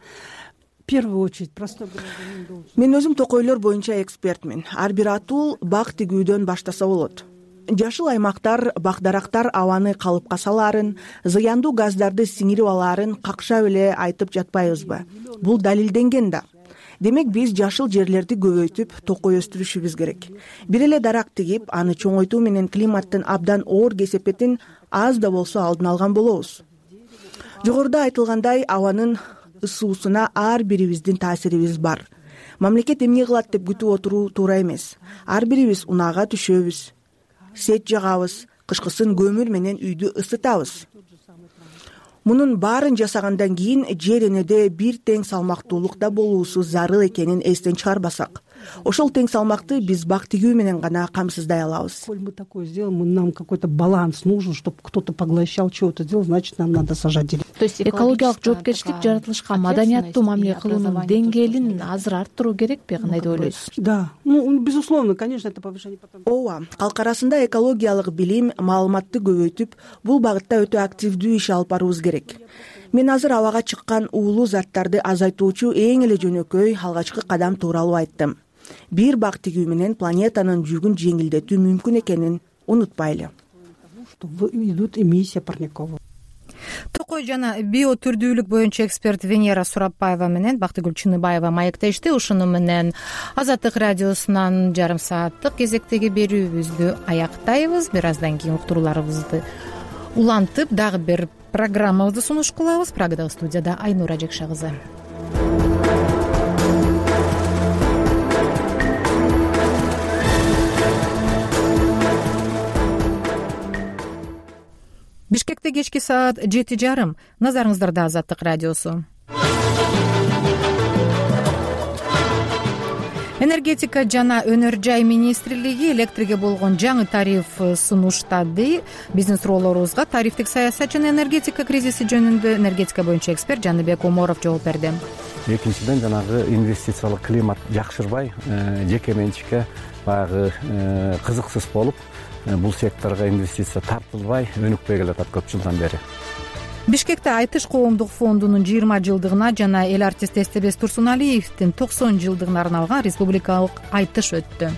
Speaker 18: в первую очередь простой гражданин должен...
Speaker 3: Мен өзүм токойлор боюнча экспертмин. Ар бир атул бак тигүүдөн баштаса болот. Жашыл аймактар, бакдарактар абаны калыпка салаарын, зыяндуу газдарды сиңирип алаарын какшап эле айтып жатпайбызбы? Бул далилденген да. Демек биз жашыл жерлерди көбөйтүп, токой өстүрүшүбүз керек. Бир эле дарак тигип, аны чоңойтуу менен климаттын абдан оор кесепетин аз да болсо алдын алган болобуз. Жогоруда айтылгандай, абанын ысуусуна ар бирибиздин таасирибиз бар. Мамлекет эмне кылат деп күтүп отуруу туура эмес. Ар бирибиз унаага түшөбүз, сет жагабыз, кышкысын көмүр менен үйдү ысытабыз. Мунун баарын жасагандан кийин жер энеде бир тең салмактуулукта болуусу зарыл экенин эстен чыгарбасак, ошол тең салмакты биз бак тигүү менен гана камсыздай алабыз.
Speaker 18: Коль мы такое сделаем, нам какой-то баланс нужен, чтобы кто-то поглощал, чего-то делал, значит, нам надо сажать деревья.
Speaker 17: То есть экологиялык жоопкерчилик жаратылышка маданияттуу мамиле кылуунун деңгээлин азыр арттыруу керекпи? Кандай деп ойлойсуз?
Speaker 18: Да, ну, безусловно, конечно, это повышение потенциала.
Speaker 3: Ооба, калк арасында экологиялык билим, маалыматты көбөйтүп, бул багытта өтө активдүү иш алып баруубуз керек. Мен азыр абага чыккан уулуу заттарды азайтуучу эң эле жөнөкөй алгачкы кадам тууралуу айттым. Бир бак тигүү менен планетанын жүгүн жеңилдетүү мүмкүн экенин унутпайлы.
Speaker 18: что идут эмиссия парниковых.
Speaker 1: Токой жана биотүрдүүлүк боюнча эксперт Венера Сурапбаева менен Бактыгүл Чыныбаева маектешти. Ушуну менен Азаттык радиосунан жарым сааттык кезектеги берүүбүздү аяктайбыз. Бир аздан кийин уктурууларыбызды улантып дагы бир программабызды сунуш кылабыз. Прагадагы студияда Айнура Жекша кызы. Бишкекте кечки саат 7:30. Назарыңыздарда Азаттык радиосу. Энергетика жана өнөр жай министрлиги электрге болгон жаңы тариф сунуштады. Биздин суроолорубузга тарифтик саясат жана энергетика кризиси жөнүндө энергетика боюнча эксперт Жаныбек Оморов жооп берди.
Speaker 19: Экинчиден жанагы инвестициялык климат жакшырбай, жеке менчикке баягы кызыксыз болуп, бул секторго инвестиция тартылбай өнүкпөй келатат көп жылдан бери.
Speaker 1: Бишкекте Айтыш коомдук фондунун 20 жылдыгына жана эл артисти Эстебес Турсуналиевдин 90 жылдыгына арналган республикалык айтыш өттү.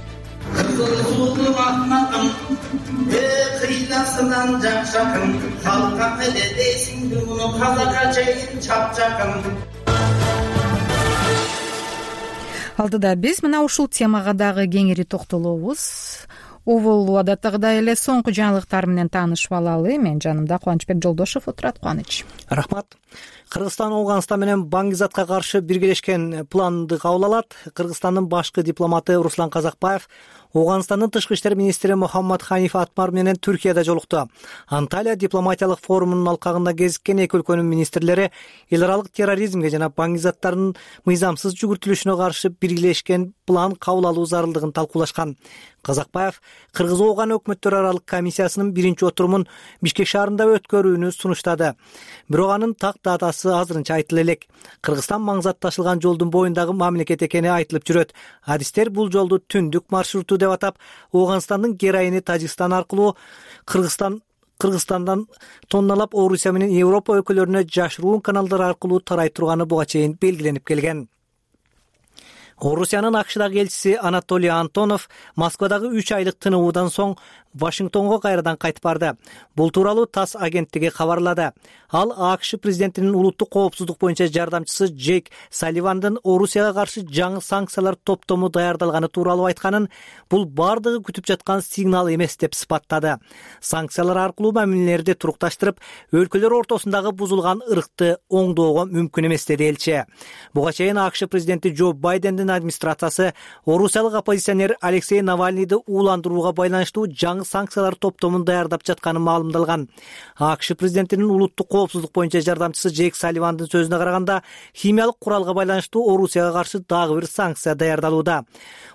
Speaker 1: Алдыда биз мына ушул темага дагы кеңири токтолобуз. Овол адаттагыдай эле соңку жаңылыктар менен таанышып алалы. Мен жанымда Кубанычбек Жолдошев отурат. Кубаныч.
Speaker 4: Рахмат. Кыргызстан Ооганстан менен Баңгизатка каршы биргелешкен планды кабыл алат. Кыргызстандын башкы дипломаты Руслан Казакбаев Ооганстандын тышкы иштер министри Мухаммад Ханиф Атмар менен Түркияда жолукту. Анталия дипломатиялык форумунун алкагында кезиккен эки өлкөнүн министрлери эл аралык терроризмге жана баңгизаттардын мыйзамсыз жүгүртүлүшүнө каршы биргелешкен план кабыл алуу зарылдыгын талкуулашкан. Казакбаев Кыргыз-Ооган өкмөттөр аралык комиссиясынын биринчи отурумун Бишкек шаарында өткөрүүнү сунуштады. Бирок анын так датасы азырынча айтыла элек. Кыргызстан маңзат ташылган жолдун боюндагы мамлекет экени айтылып жүрөт. Адистер бул жолду түндүк маршруту деп атап, Ооганстандын героини Тажикстан аркылуу Кыргызстандан тонналап Орусия менен Европа өлкөлөрүнө жашыруун каналдар аркылуу тарай турганы буга чейин белгиленип келген. Орусиянын АКШдагы элчиси Анатолий Антонов Москвадагы 3 айлык тынуудан соң Вашингтонго кайрадан кайтып барды. Бул тууралуу ТАСС агенттиги кабарлады. Ал АКШ президентинин улуттук коопсуздук боюнча жардамчысы Джейк Салливандын Орусияга каршы жаңы санкциялар топтому даярдалганы тууралуу айтканын, бул бардыгы күтүп жаткан сигнал эмес деп сыпаттады. Санкциялар аркылуу мамилелерди турукташтырып, өлкөлөр ортосундагы бузулган ырыкты оңдоого мүмкүн эмес деди элчи. Буга чейин АКШ президенти Джо Байдендин администрациясы орусиялык оппозиционер Алексей Навальныйды ууландырууга байланыштуу жаңы санкциялар топтомун даярдап жатканы маалымдалган. АКШ президентинин улуттук коопсуздук боюнча жардамчысы Джейк Салливандын сөзүнө караганда, химиялык куралга байланыштуу Орусияга каршы дагы бир санкция даярдалууда.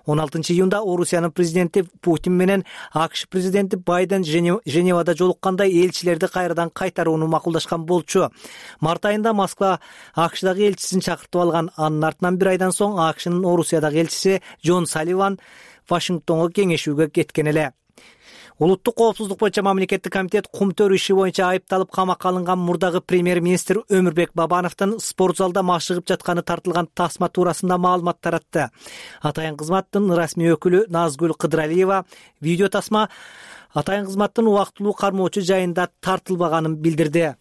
Speaker 4: 16 июнда Орусиянын президенти Путин менен АКШ президенти Байден Женевада жолукканда элчилерди кайрадан кайтарууну макулдашкан болчу. Март айында Москва АКШдагы элчисин чакыртып алган. Анын артынан бир айдан соң АКШнын Орусиядагы элчиси Джон Салливан Вашингтонго кеңешүүгө кеткен эле. Улуттук коопсуздук боюнча мамлекеттик комитет кумтөр иши боюнча айыпталып камакка алынган мурдагы премьер-министр Өмүрбек Бабановдун спорт залда машыгып жатканы тартылган тасма туурасында маалымат таратты. Атайын кызматтын расмий өкүлү Назгүл Кыдыралиева видео тасма атайын кызматтын убактылуу кармоочу жайында тартылбаганын билдирди.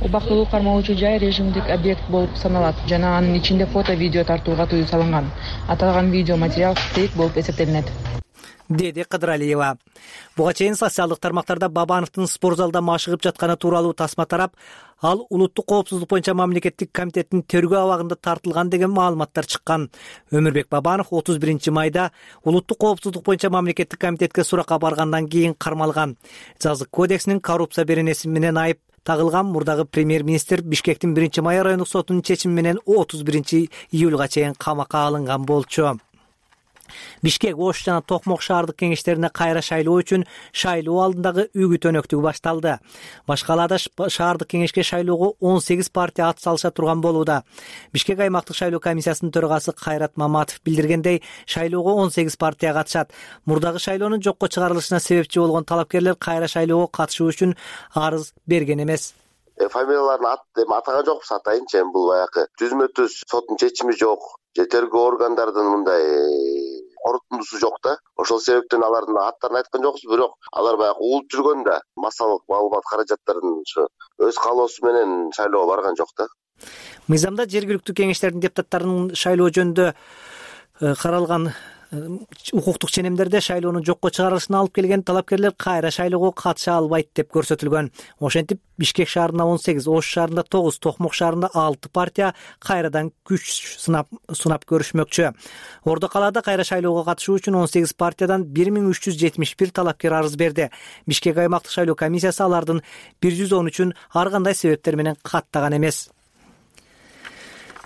Speaker 20: Убактылуу кармоочу жай режимдик объект болуп саналат жана анын ичинде фото видео тартууга тыюу салынган. Аталган видео материал фейк болуп эсептелинет,
Speaker 4: деди Кыдыралиева. Буга чейин социалдык тармактарда Бабановдун спорт залда машыгып жатканы тууралуу тасма тарап, ал улуттук коопсуздук боюнча мамлекеттик комитеттин тергөө абагында тартылган деген маалыматтар чыккан. Өмүрбек Бабанов 31 майда улуттук коопсуздук боюнча мамлекеттик комитетке суракка баргандан кийин кармалган. Жазык кодексинин коррупция беренеси менен айып тагылган мурдагы премьер-министр Бишкектин 1 май райондук сотунун чечими менен 31 июлга чейин камакка алынган болчу. Бишкек, Ош жана Токмок шаардык кеңештерине кайра шайлоо үчүн шайлоо алдындагы үгүт өнөктүгү башталды. Башка калаада шаардык кеңешке шайлоого 18 партия ат салыша турган болууда. Бишкек аймактык шайлоо комиссиясынын төрагасы Кайрат Маматов билдиргендей, шайлоого 18 партия катышат. Мурдагы шайлоонун жокко чыгарылышына себепчи болгон талапкерлер кайра шайлоого катышуу үчүн арыз берген эмес.
Speaker 21: Фамилияларын атаган жокпуз, атайынчы. Бул баягы түзмө-түз соттун чечими жок. Тергөө органдардын мындай корутундусу жок да. Ошол себептен алардын аттарын айткан жокпуз, бирок алар баягы уулуп жүргөндө массалык маалымат каражаттарын ушу өз каалоосу менен шайлоого барган жок да.
Speaker 4: Мыйзамда жергиликтүү кеңештердин депутаттарынын шайлоо жөнүндө каралган укуктук ченемдерде шайлоонун жокко чыгарылышына алып келген талапкерлер кайра шайлоого катыша албайт деп көрсөтүлгөн. Ошентип Бишкек шаарында 18, Ош шаарында 9, Токмок шаарында 6 партия кайрадан күч сынап көрүшмөкчү. Ордо калаада кайра шайлоого катышуу үчүн 18 партиядан 1371 талапкер арыз берди. Бишкек аймактык шайлоо комиссиясы алардын 113-үн ар кандай себептер менен каттаган эмес.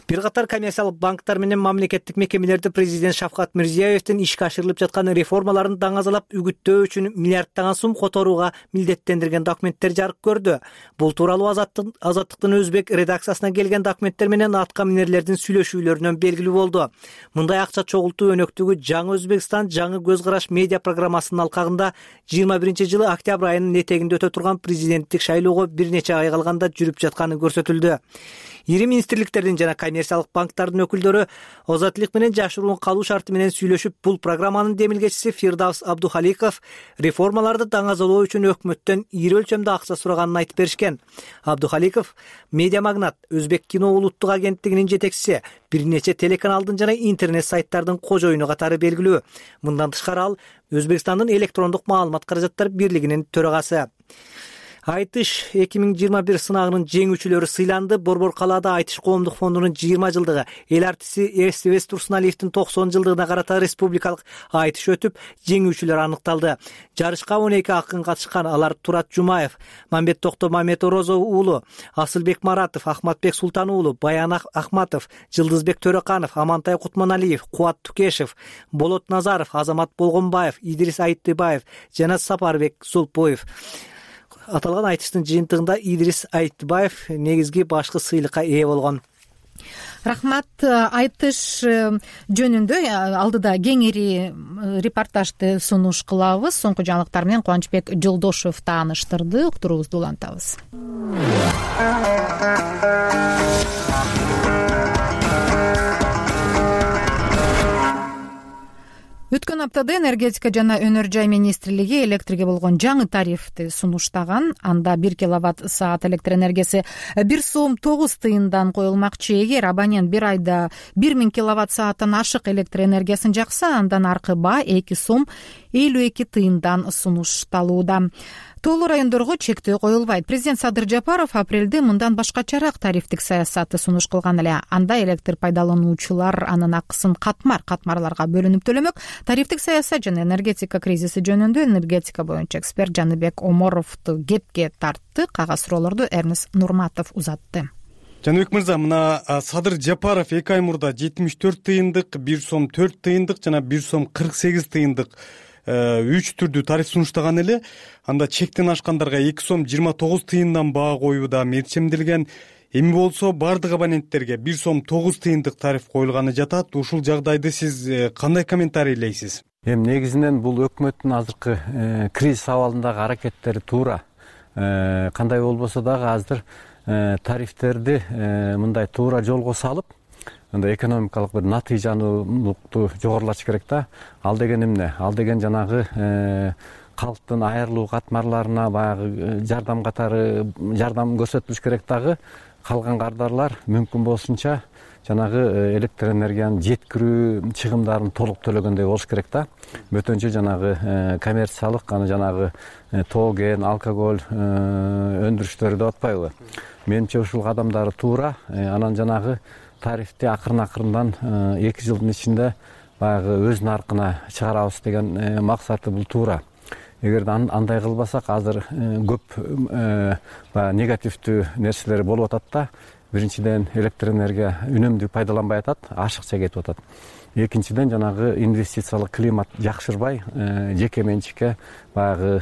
Speaker 4: Бир катар коммерциялык банктар менен мамлекеттик мекемелерди президент Шавкат Мирзиёевдин ишке ашырылып жаткан реформаларын даңазалап үгүттөө үчүн миллиарддаган сум которууга милдеттендирген документтер жарык көрдү. Бул тууралуу Азаттыктын өзбек редакциясына келген документтер менен атка минерлердин сүйлөшүүлөрүнөн белгилүү болду. Мындай акча чогултуу өнөктүгү Жаңы Өзбекстан жаңы көз караш медиа программасынын алкагында 21-жылы октябрь айынын этегинде өтө турган президенттик шайлоого бир нече ай калганда жүрүп жатканы көрсөтүлдү. Ири министрликтердин жана коммерциялык банктардын өкүлдөрү озаттылык менен жашыруун калуу шарты менен сүйлөшүп, бул программанын демилгечиси Фирдавс Абдухаликов реформаларды даңазалоо үчүн өкмөттөн ири өлчөмдө акча сураганын айтып беришкен. Абдухаликов медиа магнат, Өзбек кино улуттук агенттигинин жетекчиси, бир нече телеканалдын жана интернет сайттардын кожоюну катары белгилүү. Мындан тышкары ал Өзбекстандын электрондук маалымат каражаттар бирлигинин төрагасы. Айтыш 2021 сынагынын жеңүүчүлөрү сыйланды. Борбор калаада Айтыш коомдук фондунун 20 жылдыгы, эл артисти Эстебес Турсуналиевдин 90 жылдыгына карата республикалык айтыш өтүп, жеңүүчүлөр аныкталды. Жарышка 12 акын катышкан. Алар Турат Жумаев, Мамбет Токто Маметорозо уулу, Асылбек Маратов, Ахматбек Султан уулу, Баян Ахматов, Жылдызбек Төрөканов, Амантай Кутманалиев, Кубат Тукешев, Болот Назаров, Азамат Болгонбаев, Идрис Айтыбаев жана Сапарбек Сулпоев. Аталган айтыштын жыйынтыгында Идрис Айтбаев негизги башкы сыйлыкка ээ болгон.
Speaker 1: Рахмат. Айтыш жөнүндө алдыда кеңири репортажды сунуш кылабыз. Соңку жаңылыктар менен Кубанычбек Жолдошев тааныштырды. Уктуруубузду улантабыз. Өткөн аптада энергетика жана өнөр жай министрлиги электрге болгон жаңы тарифти сунуштаган. Анда 1 киловатт-саат электр энергиясы 1 сом 9 тыйындан коюлмакчы. Эгер абонент бир айда 1000 киловатт-сааттан ашык электр энергиясын жакса, андан аркы баа 2 сом 52 тыйындан сунушталууда. Тоолуу райондорго чектөө коюлбайт. Президент Садыр Жапаров апрелде мындан башкачараак тарифтик саясатты сунуш кылган эле. Анда электр пайдалануучулар анын акысын катмарларга бөлүнүп төлөмөк. Тарифтик саясат жана энергетика кризиси жөнүндө энергетика боюнча эксперт Жаныбек Оморовду кепке тартты. Кагаз суроолорду Эрнес Нурматов узатты.
Speaker 5: Жаныбек мырза, мына Садыр Жапаров 2 ай мурда 74 тыйындык, 1 сом 4 тыйындык жана 1 сом 48 тыйындык 3 түрдүү тариф сунуштаган эле. Анда чектен ашкандарга 2 сом 29 тыйындан баа коюу да мерчемделген. Эми болсо бардык абоненттерге 1 сом 9 тыйындык тариф коюлганы жатат. Ушул жагдайды сиз кандай комментарийлейсиз?
Speaker 19: Эми негизинен бул өкмөттүн азыркы кризис абалындагы аракеттери туура. Кандай болбосо дагы азыр тарифтерди мындай туура жолго салып, анда экономикалык бир натыйжануулукту жогорулатыш керек да. Ал деген эмне? Ал деген жанагы калктын айрылуу катмарларына баягы жардам катары жардам көрсөтүлүш керек дагы. Калган кардарлар мүмкүн болсунча жанагы электр энергиянын жеткирүү чыгымдарын толук төлөгөндөй болуш керек да. Бөтөнчө жанагы коммерциялык, аны жанагы тоген, алкоголь өндүрүштөрү деп атпайбы? Менимче ушул кадамдары туура. Анан жанагы тарифти акырын-акырындан 2 жылдын ичинде баягы өз наркына чыгарабыз деген максаты бул туура. Эгерде андай кылбасак, азыр көп негативдүү нерселер болуп атат да. Биринчиден электр энергия үнөмдүү пайдаланбай атат, ашыкча кетип атат. Экинчиден жанагы инвестициялык климат жакшырбай, жеке менчикке баягы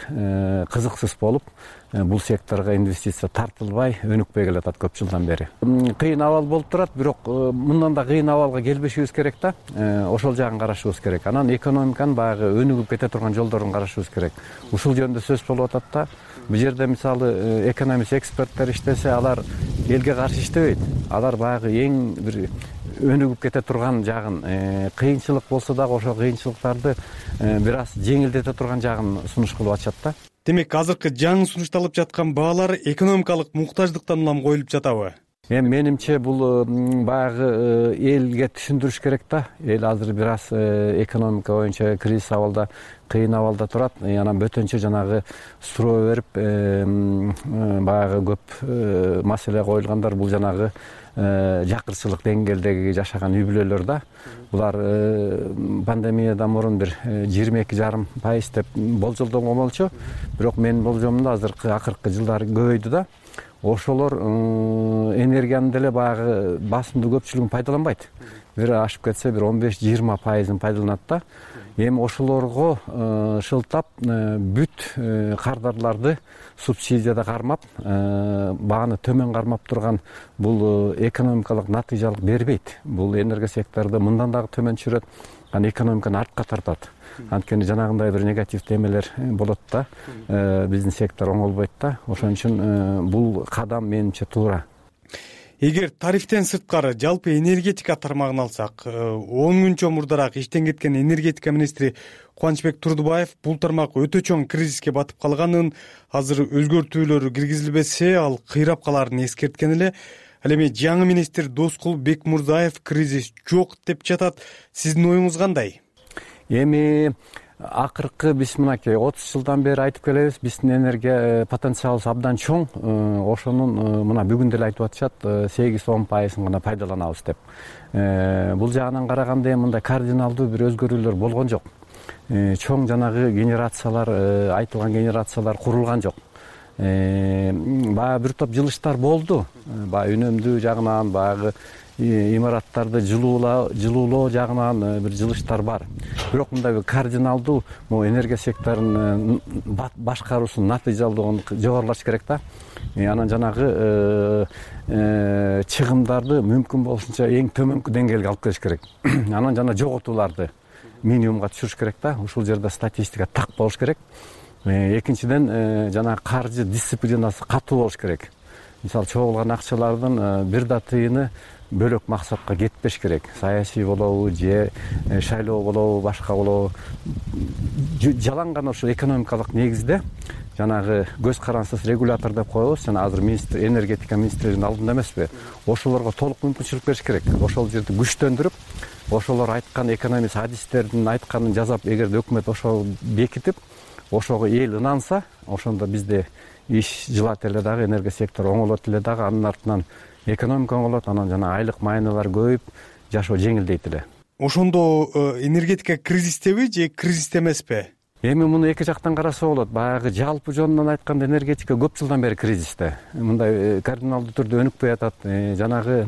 Speaker 19: кызыксыз болуп, бул секторго инвестиция тартылбай, өнүкпөй келатат көп жылдан бери. Кыйын абал болуп турат, бирок мындан да кыйын абалга келбешибиз керек да. Ошол жагын карашыбыз керек. Анан экономиканын баягы өнүгүп кете турган жолдорун карашыбыз керек. Ушул жөнүндө сөз болуп атат да. Бул жерде мисалы экономист эксперттер иштесе, алар элге каршы иштебейт. Алар баягы эң бир өнүгүп кете турган жагын, кыйынчылык болсо дагы ошол кыйынчылыктарды бир аз жеңилдете турган жагын сунуш кылып атышат да.
Speaker 5: Демек азыркы жаңы сунушталып жаткан баалар экономикалык муктаждыктан улам коюлуп жатабы?
Speaker 19: Эми менимче бул баягы элге түшүндүрүш керек да. Эл азыр бир аз экономика боюнча кризис абалда, кыйын абалда турат. Анан бөтөнчө жанагы суроо берип баягы көп маселе коюлгандар бул жанагы жакырчылык деңгээлдеги жашаган үй бүлөлөр да. Булар пандемиядан мурун бир 22,5% деп болжолдонгон болчу. Бирок менин болжомумда азыркы акыркы жылдары көбөйдү да. Ошолор энергиянын деле баягы басымдуу көпчүлүгүн пайдаланбайт. Бир ашып кетсе бир 15-20% пайдаланат да. Эми ошолорго шылтап бүт кардарларды субсидияда кармап, бааны төмөн кармап турган бул экономикалык натыйжалык бербейт. Бул энергия секторду мындан дагы төмөн түшүрөт, анан экономиканы артка тартат. Анткени жанагындай бир негативдүү эмелер болот да. Биздин сектор оңолбойт да. Ошон үчүн бул кадам менимче туура.
Speaker 5: Эгер тарифтен сырткары жалпы энергетика тармагын алсак, 10 күн чомурдараак иштен кеткен энергетика министри Кубанычбек Турдубаев бул тармак өтө чоң кризиске батып калганын, азыр өзгөртүүлөр киргизилбесе ал кыйрап каларын эскерткен эле. Ал эми жаңы министр Доскул Бекмурзаев кризис жок деп жатат. Сиздин оюңуз кандай?
Speaker 19: Эми акыркы биз мынакей 30 жылдан бери айтып келебиз, биздин энергия потенциалыбыз абдан чоң. Ошонун мына бүгүн деле айтып атышат, 8-10% гана пайдаланабыз деп. Бул жагынан караганда мындай кардиналдуу бир өзгөрүүлөр болгон жок. Чоң жанагы генерациялар, айтылган генерациялар курулган жок. Баягы бир топ жылыштар болду. Баягы үнөмдүү жагынан, баягы имараттарды жылуулоо жагынан бир жылыштар бар. Бирок мындай бир кардиналдуу энергия секторунун башкаруусунун натыйжалуулугун жогорулатыш керек да. Анан жанагы чыгымдарды мүмкүн болушунча эң төмөнкү деңгээлге алып келиш керек. Анан жана жоготууларды минимумга түшүрүш керек да. Ушул жерде статистика так болуш керек. Экинчиден жана каржы дисциплинасы катуу болуш керек. Мисалы чогулган акчалардын бир да тыйыны бөлөк максатка кетпеш керек. Саясий болобу, же шайлоо болобу, башка болобу. Жалаң гана ошо экономикалык негизде жанагы көз карансыз регулятор деп коебуз. Жана азыр министр, энергетика министринин алдында эмеспи? Ошолорго толук мүмкүнчүлүк бериш керек. Ошол жерди күчтөндүрүп, ошолор айткан экономист адистердин айтканын жасап, эгерде өкмөт ошол бекитип, ошого эл ынанса, ошондо бизде иш жылат эле дагы, энергия сектору оңолот эле дагы, анын артынан экономика оңолот, анан жана айлык майнылар көбөйүп, жашоо жеңилдейт эле.
Speaker 5: Ошондо энергетика кризистеби же кризисте эмеспи?
Speaker 19: Эми муну эки жактан караса болот. Баягы жалпы жонунан айтканда энергетика көп жылдан бери кризисте. Мындай кардиналдуу түрдө өнүкпөй атат. Жанагы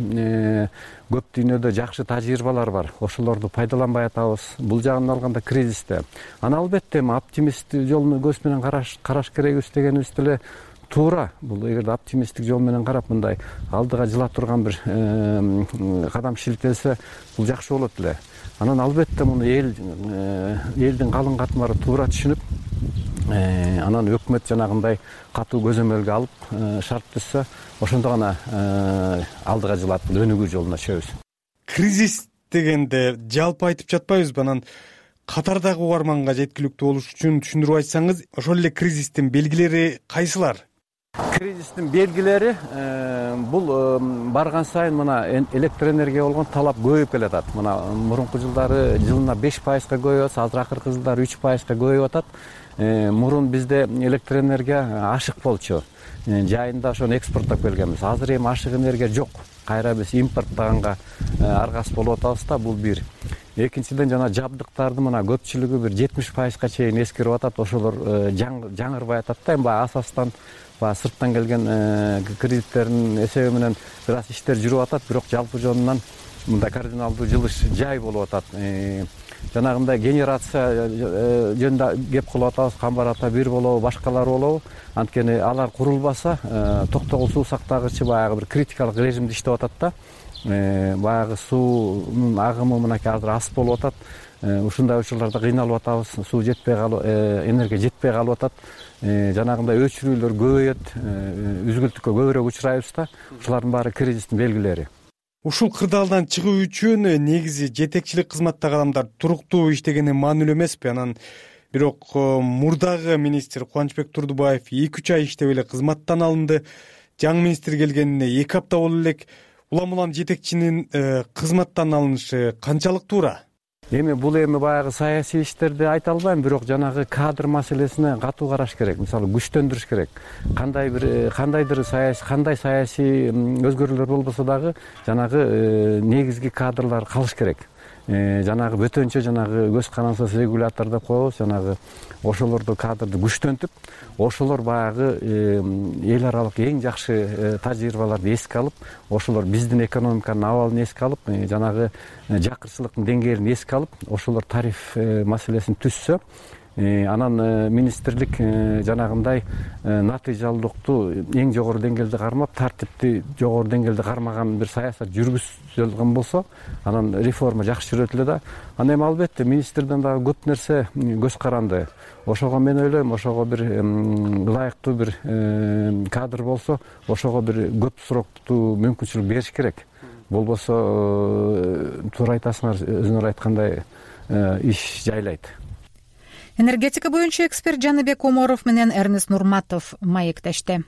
Speaker 19: көп дүйнөдө жакшы тажрыйбалар бар. Ошолорду пайдаланбай атабыз. Бул жагынан алганда кризисте. Анан албетте оптимисттик жол көз менен караш керекбиз дегенибиз деле туура. Бул эгерде оптимисттик жол менен карап мындай алдыга жыла турган бир кадам шилтелсе, бул жакшы болот эле. Анан албетте муну элдин калың катмары туура түшүнүп, анан өкмөт жанагындай катуу көзөмөлгө алып шарт түзсө, ошондо гана алдыга жылап өнүгүү жолуна түшөбүз.
Speaker 5: Кризис дегенде жалпы айтып жатпайбызбы? Анан катардагы угарманга жеткиликтүү болуш үчүн түшүндүрүп айтсаңыз, ошол эле кризистин белгилери кайсылар?
Speaker 19: Кризистин белгилери бул барган сайын мына электр энергияга болгон талап көбөйүп келатат. Мына мурунку жылдары жылына 5%га көбөйүп атса, азыр акыркы жылдары 3%га көбөйүп атат. Мурун бизде электр энергия ашык болчу. Жайында ошону экспорттоп келгенбиз. Азыр эми ашык энергия жок. Кайра биз импорттаганга аргас болуп атабыз да, бул бир. Экинчиден жана жабдыктарды мына көпчүлүгү бир 70%га чейин эскерип атат. Ошолор жаңырбай атат да. Эми асастан сырттан келген кредиттердин эсеби менен бир аз иштер жүрүп атат, бирок жалпы жонунан мындай кардиналдуу жылыш жай болуп атат. Жанагындай генерация жөнүндө кеп кылып атабыз, Камбар ата 1 болобу, башкалар болобу. Анткени алар курулбаса, токтогул суу сактагычы баягы бир критикалык режимде иштеп атат да. Баягы суунун агымы мынакей азыр аз болуп атат. Ушундай учурларда кыйналып атабыз, суу жетпей калып, энергия жетпей калып атат. Жанагындай өчүрүүлөр көбөйөт, үзгүлтүккө көбүрөөк учурайбыз да. Ушулардын баары кризистин белгилери.
Speaker 5: ушул кырдаалдан чыгуу үчүн негизи жетекчилик кызматтагы адамдар туруктуу иштегени маанилүү эмеспи? Анан бирок мурдагы министр Кубанычбек Турдубаев 2-3 ай иштеп эле кызматтан алынды. Жаңы министр келгенине 2 апта боло элек. Улам жетекчинин кызматтан алынышы канчалык туура?
Speaker 19: Эми бул баягы саясий иштерди айта албайм, бирок жанагы кадр маселесине катуу караш керек. Мисалы күчтөндүрүш керек. Кандайдыр саясий өзгөрүүлөр болбосо дагы жанагы негизги кадрлар калыш керек. Жанагы бөтөнчө көз карансыз регулятор деп коебуз, жанагы ошолорду кадрды күчтөнтүп, ошолор баягы эл аралык эң жакшы тажрыйбаларды эске алып, ошолор биздин экономиканын абалын эске алып, жанагы жакырчылыктын деңгээлин эске алып, ошолор тариф маселесин түзсө, анан министрлик жанагындай натыйжалуулукту эң жогору деңгээлде кармап, тартипти жогору деңгээлде кармаган бир саясат жүргүзүлгөн болсо, анан реформа жакшы жүрөт эле да. Анан эми албетте министрден дагы көп нерсе көз каранды. Ошого мен ойлойм, ошого бир ылайыктуу бир кадр болсо, ошого бир көп сроктуу мүмкүнчүлүк бериш керек. Болбосо туура айтасыңар, өзүңөр айткандай иш жайлайт.
Speaker 1: Энергетика боюнча эксперт Жаныбек Оморов менен Эрнест Нурматов маектешти.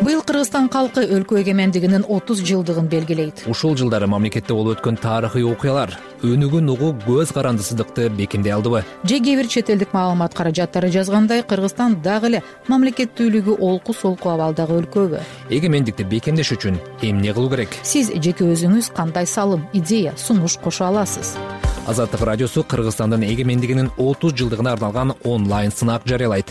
Speaker 1: Быйыл Кыргызстан калкы өлкө эгемендигинин 30 жылдыгын белгилейт.
Speaker 14: Ушул жылдары мамлекетте болуп өткөн тарыхый окуялар өнүгүүн угуу көз карандысыздыкты бекемдей алдыбы?
Speaker 1: Же кээ бир чет элдик маалымат каражаттары жазгандай, Кыргызстан дагы эле мамлекеттүүлүгү олку-солку абалдагы өлкөбү?
Speaker 14: Эгемендикти бекемдеш үчүн эмне кылуу керек?
Speaker 1: Сиз жеке өзүңүз кандай салым, идея, сунуш кошо аласыз?
Speaker 14: Азаттык радиосу Кыргызстандын эгемендигинин 30 жылдыгына арналган онлайн сынак жарыялайт.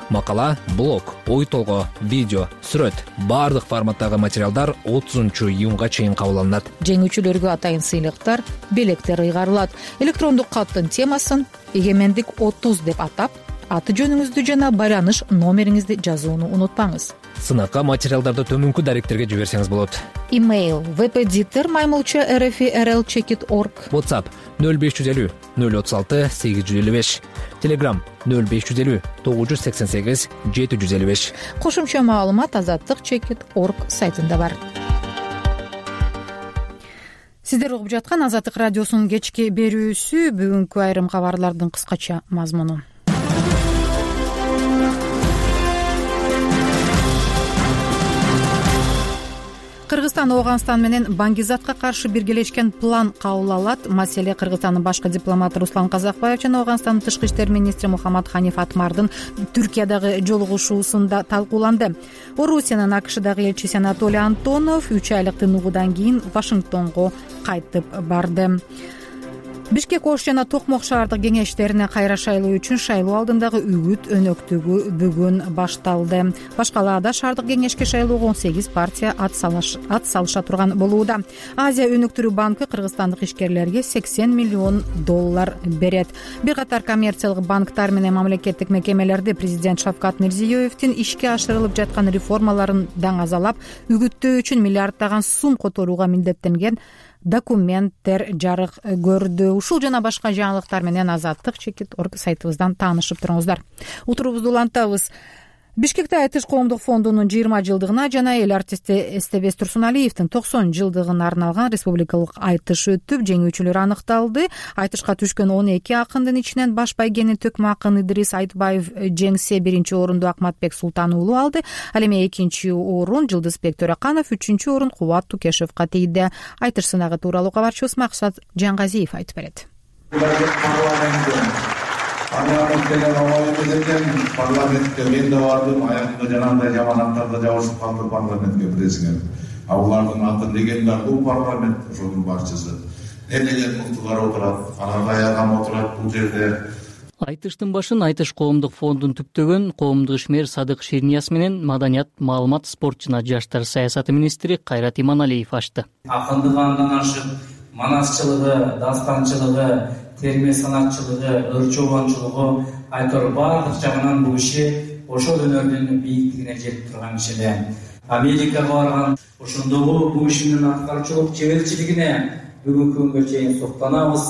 Speaker 14: Макала, блог, ой толгоо, видео, сүрөт, бардык форматтагы материалдар 30-июнга чейин кабыл алынат.
Speaker 1: Жеңүүчүлөргө атайын сыйлыктар, белектер ыйгарылат. Электрондук каттын темасын эгемендик 30 деп атап, аты жөнүңүздү жана байланыш номериңизди жазууну унутпаңыз.
Speaker 14: Сынакка материалдарды төмөнкү даректерге жиберсеңиз болот.
Speaker 1: Имейл webeditor@rfi.rl.org.
Speaker 14: WhatsApp 0550 036 855. Telegram 0550 988 755.
Speaker 1: Кошумча маалымат azatlyk.org сайтында бар. Сиздер угуп жаткан Азаттык радиосунун кечки берүүсү. Бүгүнкү айрым кабарлардын кыскача мазмуну. Кыргызстан Ооганстан менен баңгизатка каршы биргелешкен план кабыл алат. Маселе Кыргызстандын башкы дипломаты Руслан Казакбаев жана Ооганстандын тышкы иштер министри Мухаммад Ханиф Атмардын Түркиядагы жолугушуусунда талкууланды. Орусиянын АКШдагы элчиси Анатолий Антонов 3 айлык тынуудан кийин Вашингтонго кайтып барды. Бишкек Ош жана Токмок шаардык кеңештерине кайра шайлоо үчүн шайлоо алдындагы үгүт өнөктүгү бүгүн башталды. Башкалаада шаардык кеңешке шайлоого 18 партия ат салыша турган болууда. Азия өнүктүрүү банкы кыргызстандык ишкерлерге $80 миллион берет. Бир катар коммерциялык банктар менен мамлекеттик мекемелерди президент Шавкат Мирзиёевдин ишке ашырылып жаткан реформаларын даңазалап, үгүттөө үчүн миллиарддаган сум которууга милдеттенген документтер жарык көрдү. Ушул жана башка жаңылыктар менен azatlyk.org сайтыбыздан таанышып туруңуздар. Утурубузду улантабыз. Бишкекте Айтыш коомдук фондунун 20 жылдыгына жана эл артисти Эстебес Турсуналиевдин 90 жылдыгына арналган республикалык айтыш өтүп, жеңүүчүлөр аныкталды. Айтышка түшкөн 12 акындын ичинен баш байгени Төкмө акын Идрис Айтбаев жеңсе, биринчи орунду Акматбек Султан уулу алды. Ал эми экинчи орун Жылдызбек Төрөканов, үчүнчү орун Кубат Тукешевге тийди. Айтыш сынагы тууралуу кабарчыбыз Максат Жангазиев айтып берет.
Speaker 2: Парламент деген оңой экен. Парламентке мен да бардым, аягымда жанагындай жаманаттарды жабышып калды парламентке билесиңер. Алардын аты легендарлуу парламент, ошонун башчысы. Элеген муктулар отурат, анандай адам отурат бул жерде.
Speaker 22: Айтыштын башын Айтыш коомдук фондун түптөгөн коомдук ишмер Садык Ширнияз менен маданият, маалымат, спорт жана жаштар саясаты министри Кайрат Иманалиев ачты.
Speaker 23: Акындык андан ашып, манасчылыгы, дастанчылыгы, терме санатчылыгы, өр чобончулугу айтор баардык жагынан бул киши ошол өнөрдүн бийиктигине жетип турган киши эле. Америкага барган, ошондогу бул кишинин аткарчылык чеберчилигине бүгүнкү күнгө чейин суктанабыз.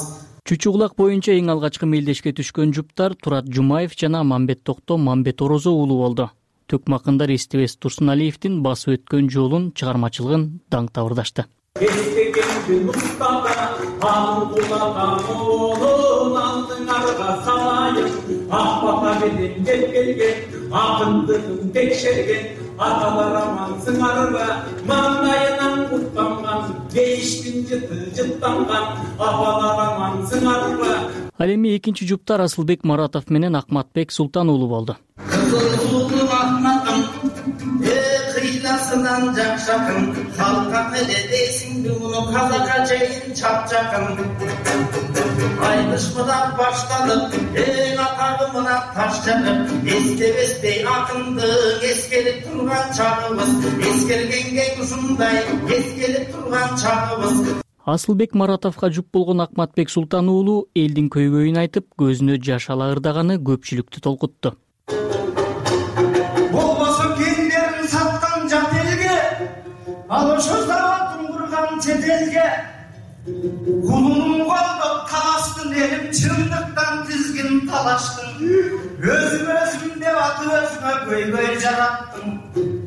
Speaker 22: Чүчү Булак боюнча эң алгачкы мелдешке түшкөн жуптар Турат Жумаев жана Мамбет Токто Мамбет Орозо уулу болду. Төкмакындар эстебес Турсуналиевдин басып өткөн жолун, чыгармачылыгын даңктабырдашты.
Speaker 6: Эстегенди устата, анын кулакан оолун алдыңарга салайын. Ак бата менен кеп келген, акындыгын текшерген, аталар аман сыңарга, маңдайынан куттанган, бейиштин жыты жыттанган, апалар аман сыңарга.
Speaker 22: Ал эми экинчи жупта Расылбек Маратов менен Акматбек Султан уулу болду.
Speaker 7: Кыйласынан жакшакын, халкка эле дейсиңби муну казакка чейин чапчакын. Айдышмыдан башталып, эң атагымына таш жагып, эстебестей акындык эскелип турган чагыбыз, эскергенге ушундай эскелип турган чагыбыз.
Speaker 22: Асылбек Маратовго жуп болгон Акматбек Султан уулу элдин көйгөйүн айтып, көзүнө жаш ала ырдаганы көпчүлүктү толкутту.
Speaker 7: Болбосо кендерин саткан жат элге, ал ошо заводун курган чет элге, кулунун колдоп талаштын элим чындыктан тизгин талаштың. Өзүм деп атып өзүмө көйгөй жараттым.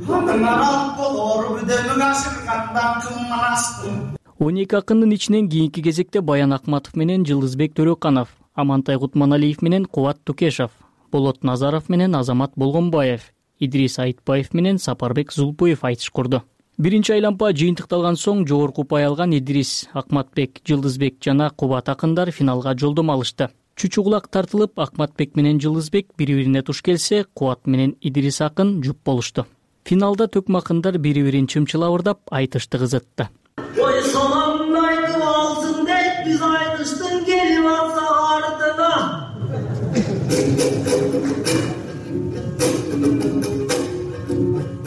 Speaker 7: Андан арал болор бүдөмүң ашыргандан кымманастым.
Speaker 22: 12 акындын ичинен кийинки кезекте Баян Акматов менен Жылдызбек Төрөканов, Амантай Кутманалиев менен Кубат Тукешов, Болот Назаров менен Азамат Болгонбаев, Идрис Айтбаев менен Сапарбек Зулпуев айтыш курду. Биринчи айлампа жыйынтыкталган соң жогорку упай алган Идрис, Акматбек, Жылдызбек жана Кубат акындар финалга жолдомо алышты. Чучугулак тартылып, Акматбек менен Жылдызбек бири-бирине туш келсе, Кубат менен Идрис акын жуп болушту. Финалда төкмакындар бири-бирин чымчылап ырдап айтышты кызытты.
Speaker 7: Ой саламын айтып алсын деп биз айтыштын келип атса артына.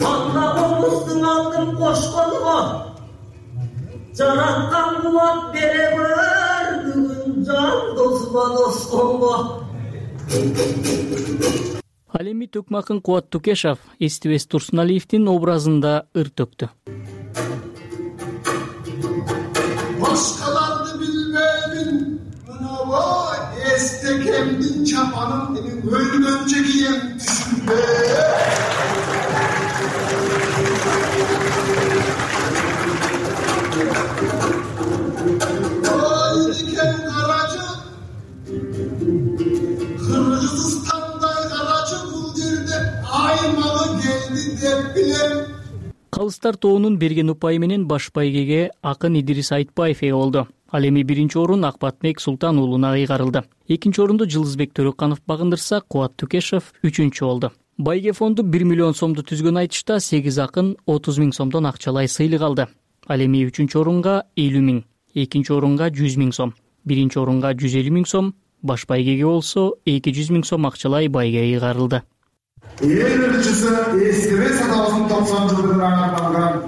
Speaker 7: Анда комуздун алдын кошконго, жараткан кубат бере бер бүгүн жан досума досконго.
Speaker 22: Ал эми төкмакын Кубат Тукешов эстебес Турсуналиевдин образында ыр төктү.
Speaker 7: Başkalarını bilmeyim, mınava estekemdin çapanım, benim ölümönce giyen düşünme. Ayniken karacı, Kırgızistan'day karacı buldirdi, aymalı geldi dep bilem.
Speaker 22: Калыстар тоонун берген упайы менен баш байгеге акын Идрис Айтбаев ээ болду. Ал эми биринчи орун Акматбек Султан уулуна ыйгарылды. Экинчи орунду Жылдызбек Төрөканов багындырса, Кубат Тукешов үчүнчү болду. Байге фонду 1 миллион сомду түзгөн айтышта 8 акын 30 000 сомдон акчалай сыйлык алды. Ал эми үчүнчү орунга 50 000, экинчи орунга 100 000 сом, биринчи орунга 150 000 сом, баш байгеге болсо 200 000 сом акчалай байге ыйгарылды.
Speaker 7: Эл ырчысы эстебес атабыздын 90 жылдыгына арналган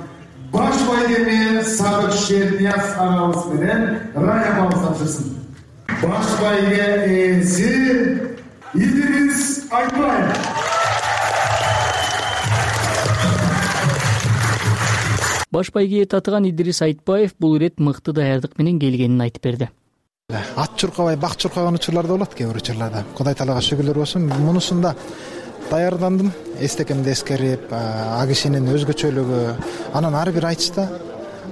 Speaker 7: баш байгеме Садык Шернияз агабыз менен Рая апабыз тапшырсын. Баш байге ээси Идрис Айтбаев.
Speaker 22: Баш байгеге татыган Идрис Айтбаев бул ирет мыкты даярдык менен келгенин айтып берди.
Speaker 8: Ат чуркабай, бак чуркаган учурлар да болот кээ бир учурларда. Кудай таалага шүгүрлөр болсун. Мунусунда даярдандым, эстекемди эскерип, а кишинин өзгөчөлүгү, анан ар бир айтышта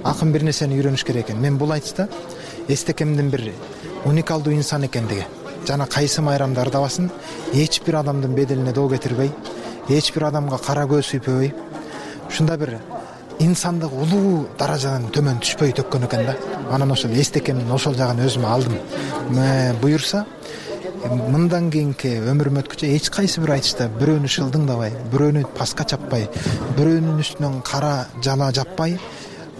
Speaker 8: акын бир нерсени үйрөнүш керек экен. Мен бул айтышта эстекемдин бир уникалдуу инсан экендиги жана кайсы майрамда ырдабасын, эч бир адамдын беделине доо кетирбей, эч бир адамга кара көз үйпөбөй, ушундай бир инсандык улуу даражадан төмөн түшпөй төккөн экен да. Анан ошол эстекемдин ошол жагын өзүмө алдым. Буюрса мындан кийинки өмүрүм өткүчө эч кайсы бир айтышта бирөөнү шылдыңдабай, бирөөнү паска чаппай, бирөөнүн үстүнөн кара жала жаппай,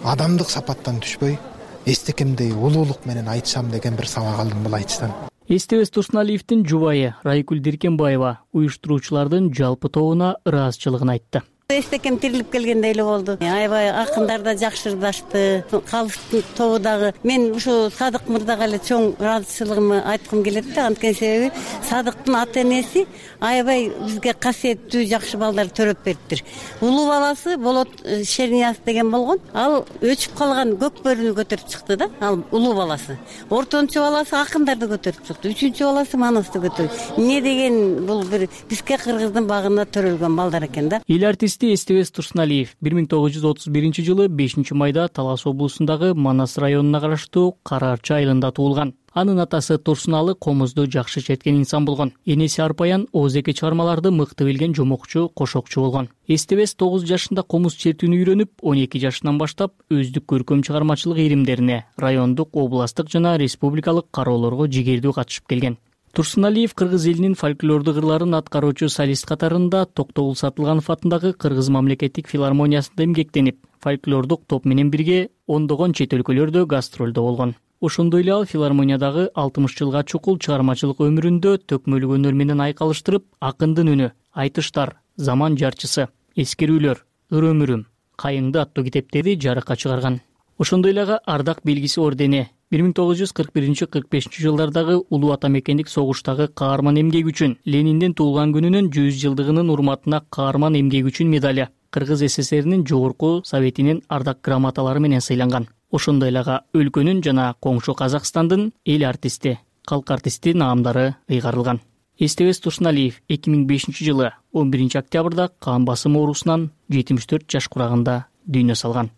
Speaker 8: адамдык сапаттан түшпөй, эстекемдей улуулук менен айтышам деген бир сабак алдым бул айтыштан.
Speaker 22: Эстебес Турсуналиевдин жубайы Райкүл Диркенбаева уюштуруучулардын жалпы тобуна ыраазычылыгын айтты.
Speaker 9: Эстекем тирилип келгендей эле болду. Аябай акындар да жакшырдашты, калыстын тобу дагы. Мен ушу Садык мырзага эле чоң ыраазычылыгымды айткым келет да, анткени себеби Садыктын ата энеси аябай бизге касиеттүү жакшы балдар төрөп бериптир. Улуу баласы Болот Шернияз деген болгон. Ал өчүп калган көк бөрүнү көтөрүп чыкты да, ал улуу баласы. Ортончу баласы акындарды көтөрүп чыкты, үчүнчү баласы Манасты көтөрүп. Эмне деген бул бир бизге кыргыздын багында төрөлгөн балдар экен да.
Speaker 22: Эл артисти Эстебес Турсуналиев 1931-жылы 5-майда Талас облусундагы Манас районуна караштуу Кара Арча айылында туулган. Анын атасы Турсуналы комузду жакшы черткен инсан болгон. Энеси Арпаян оозеке чыгармаларды мыкты билген жомокчу, кошокчу болгон. Эстебес 9 жашында комуз чертүүнү үйрөнүп, 12 жашынан баштап өздүк көркөм чыгармачылык иримдерине, райондук, областтык жана республикалык кароолорго жигердүү катышып келген. Турсуналиев кыргыз элинин фольклордук ырларын аткаруучу солист катарында Токтогул Сатылганов атындагы Кыргыз мамлекеттик филармониясында эмгектенип, фольклордук топ менен бирге ондогон чет өлкөлөрдө гастролдо болгон. Ошондой эле ал филармониядагы 60 жылга чукул чыгармачылык өмүрүндө төкмөлүк өнөр менен айкалыштырып, акындын үнү, айтыштар, заман жарчысы, эскерүүлөр, ыр өмүрүм, кайыңды аттуу китептерди жарыкка чыгарган. Ошондой эле Ардак белгиси ордени, 1941-45 жылдардагы улуу ата мекендик согуштагы каарман эмгеги үчүн, Лениндин туулган күнүнүн 100 жылдыгынын урматына каарман эмгеги үчүн медали, Кыргыз СССРинин жогорку советинин ардак грамоталары менен сыйланган. Ошондой эле өлкөнүн жана коңшу Казакстандын эл артисти, калк артисти наамдары ыйгарылган. Эстебес Турсуналиев 2005-жылы 11-октябрда кан басым оорусунан 74 жаш курагында дүйнө салган.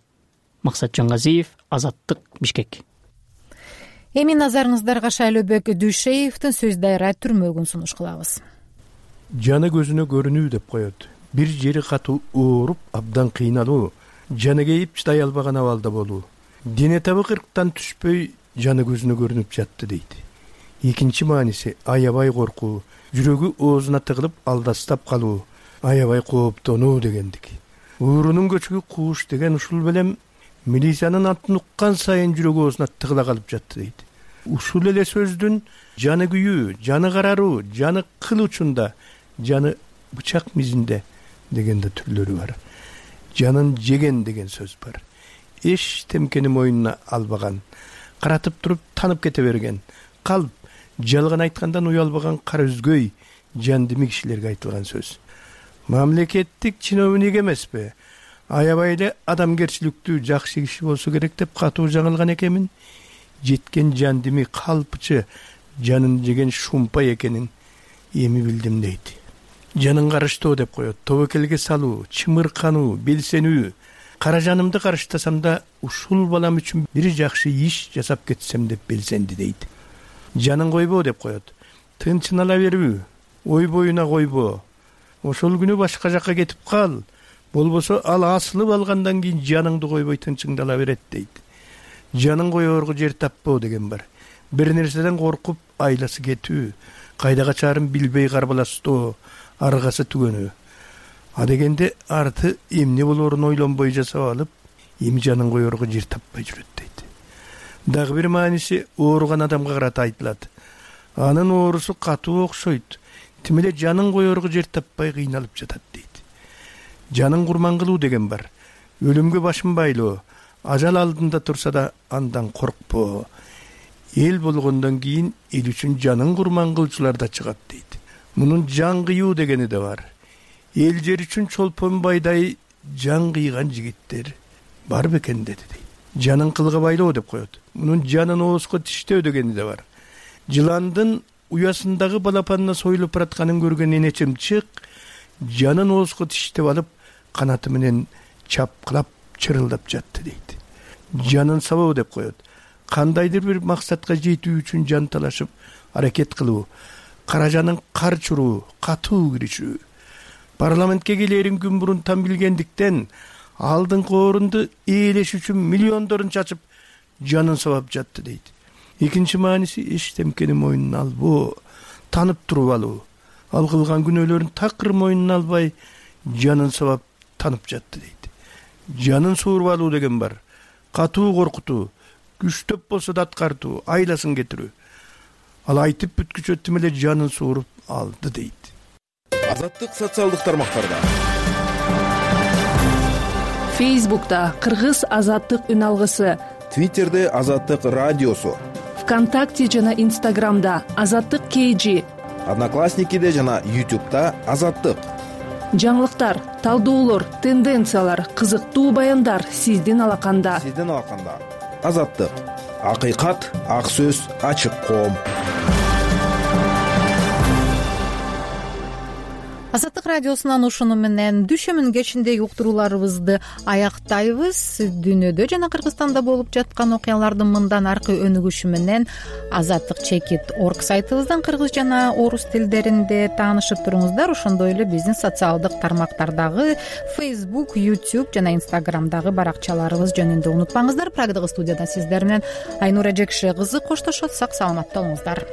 Speaker 22: Максат Жангазиев, Азаттык, Бишкек.
Speaker 1: Эми назарыңыздарга Шайлообек Дүйшеевдин сөз дайра түрмөгүн сунуш кылабыз.
Speaker 10: Жаны көзүнө көрүнүү деп коет. Бир жери катуу ооруп, абдан кыйналуу, жаны кейип чыдай албаган абалда болуу. Дене табы кырктан түшпөй, жаны көзүнө көрүнүп жатты дейт. Экинчи мааниси аябай коркуу, жүрөгү оозуна тыгылып алдастап калуу, аябай кооптонуу дегендик. Уурунун көчүгү кууш деген ушул белем милициянын атын уккан сайын жүрөгү оозуна тыгыла калып жатты дейт. Ушул эле сөздүн жаны күйүү, жаны караруу, жаны кыл учунда, жаны бычак мизинде дегенде түрлөрү бар. Жанын жеген деген сөз бар. Эч темкени мойнуна албаган, каратып туруп танып кете берген, калп, жалган айткандан уялбаган кара үзгөй, жандыми кишилерге айтылган сөз. Мамлекеттик чиновник эмеспи, аябай эле адамгерчиликтүү жакшы киши болсо керек деп катуу жаңылган экенмин. Жеткен жандыми калпчы, жанын жеген шумпай экенин эми билдим дейт. Жанын карыштоо деп коет, тобокелге салуу, чымыркануу, белсенүү. Кара жанымды карыштасам да ушул балам үчүн бир жакшы иш жасап кетсем деп белсенди дейт. Жанын койбоо деп коет. Тынчын ала берүү, ой боюна койбоо. Ошол күнү башка жакка кетип кал. Болбосо ал асылып алгандан кийин жаныңды койбой тынчыңды ала берет дейт. Жанын коёорго жер таппоо деген бар. Бир нерседен коркуп айласы кетүү, кайда качаарын билбей карбаластоо, аргасы түгөнүү. А дегенде арты эмне болоорун ойлонбой жасап алып, эми жанын коёорго жер таппай жүрөт дейт. Дагы бир мааниси ооруган адамга карата айтылат. Анын оорусу катуу окшойт. Тим эле жанын коёорго жер таппай кыйналып жатат дейт. Жанын курман кылуу деген бар. Өлүмгө башын байлоо, ажал алдында турса да андан коркпоо. Эл болгондон кийин эл үчүн жанын курман кылчулар да чыгат дейт. Мунун жан кыюу дегени да бар. Эл жер үчүн чолпон байдай жан кыйган жигиттер бар бекен деди дейт. Жанын кылга байлоо деп коет. Мунун жанын оозго тиштөө дегени да бар. Жыландын уясындагы балапанына союлуп баратканын көргөн эне чымчык жанын оозго тиштеп алып, канаты менен чапкылап чырылдап жатты дейт. Жанын сабоо деп коет. Кандайдыр бир максатка жетүү үчүн жан талашып, аракет кылуу, кара жанын кар чуруу, катуу киришүү. Парламентке келерин күн мурун там билгендиктен алдыңкы орунду ээлеш үчүн миллиондорун чачып, жанын сабап жатты дейт. Экинчи мааниси эч темкени мойнуна албоо, танып туруп алуу. Ал кылган күнөөлөрүн такыр мойнуна албай, жанын сабап танып жатты дейт. Жанын сууруп алуу деген бар. Катуу коркутуу, күчтөп болсо да аткартуу, айласын кетирүү. Ал айтып бүткүчө тим эле жанын сууруп алды дейт.
Speaker 16: Азаттык социалдык тармактарда.
Speaker 11: Фейсбукта Кыргыз азаттык үн алгысы,
Speaker 16: Твиттерде Азаттык радиосу,
Speaker 11: ВКонтакте жана Инстаграмда Азаттык KG,
Speaker 16: Одноклассникиде жана YouTube'да Азаттык.
Speaker 11: Жаңылыктар, талдоолор, тенденциялар, кызыктуу баяндар сиздин алаканда.
Speaker 16: Азаттык. Акыйкат, ак сөз, ачык коом.
Speaker 1: Азаттык радиосунан ушуну менен дүшөмүн кечиндеги уктурууларыбызды аяктайбыз. Дүйнөдө жана Кыргызстанда болуп жаткан окуялардын мындан аркы өнүгүшү менен azattik.org сайтыбыздан кыргыз жана орус тилдеринде таанышып туруңуздар. Ошондой эле биздин социалдык тармактардагы Facebook, YouTube жана Instagramдагы баракчаларыбыз жөнүндө унутпаңыздар. Прагдагы студиядан сиздер менен Айнура Жекше кызы коштошот. Сак саламатта болуңуздар.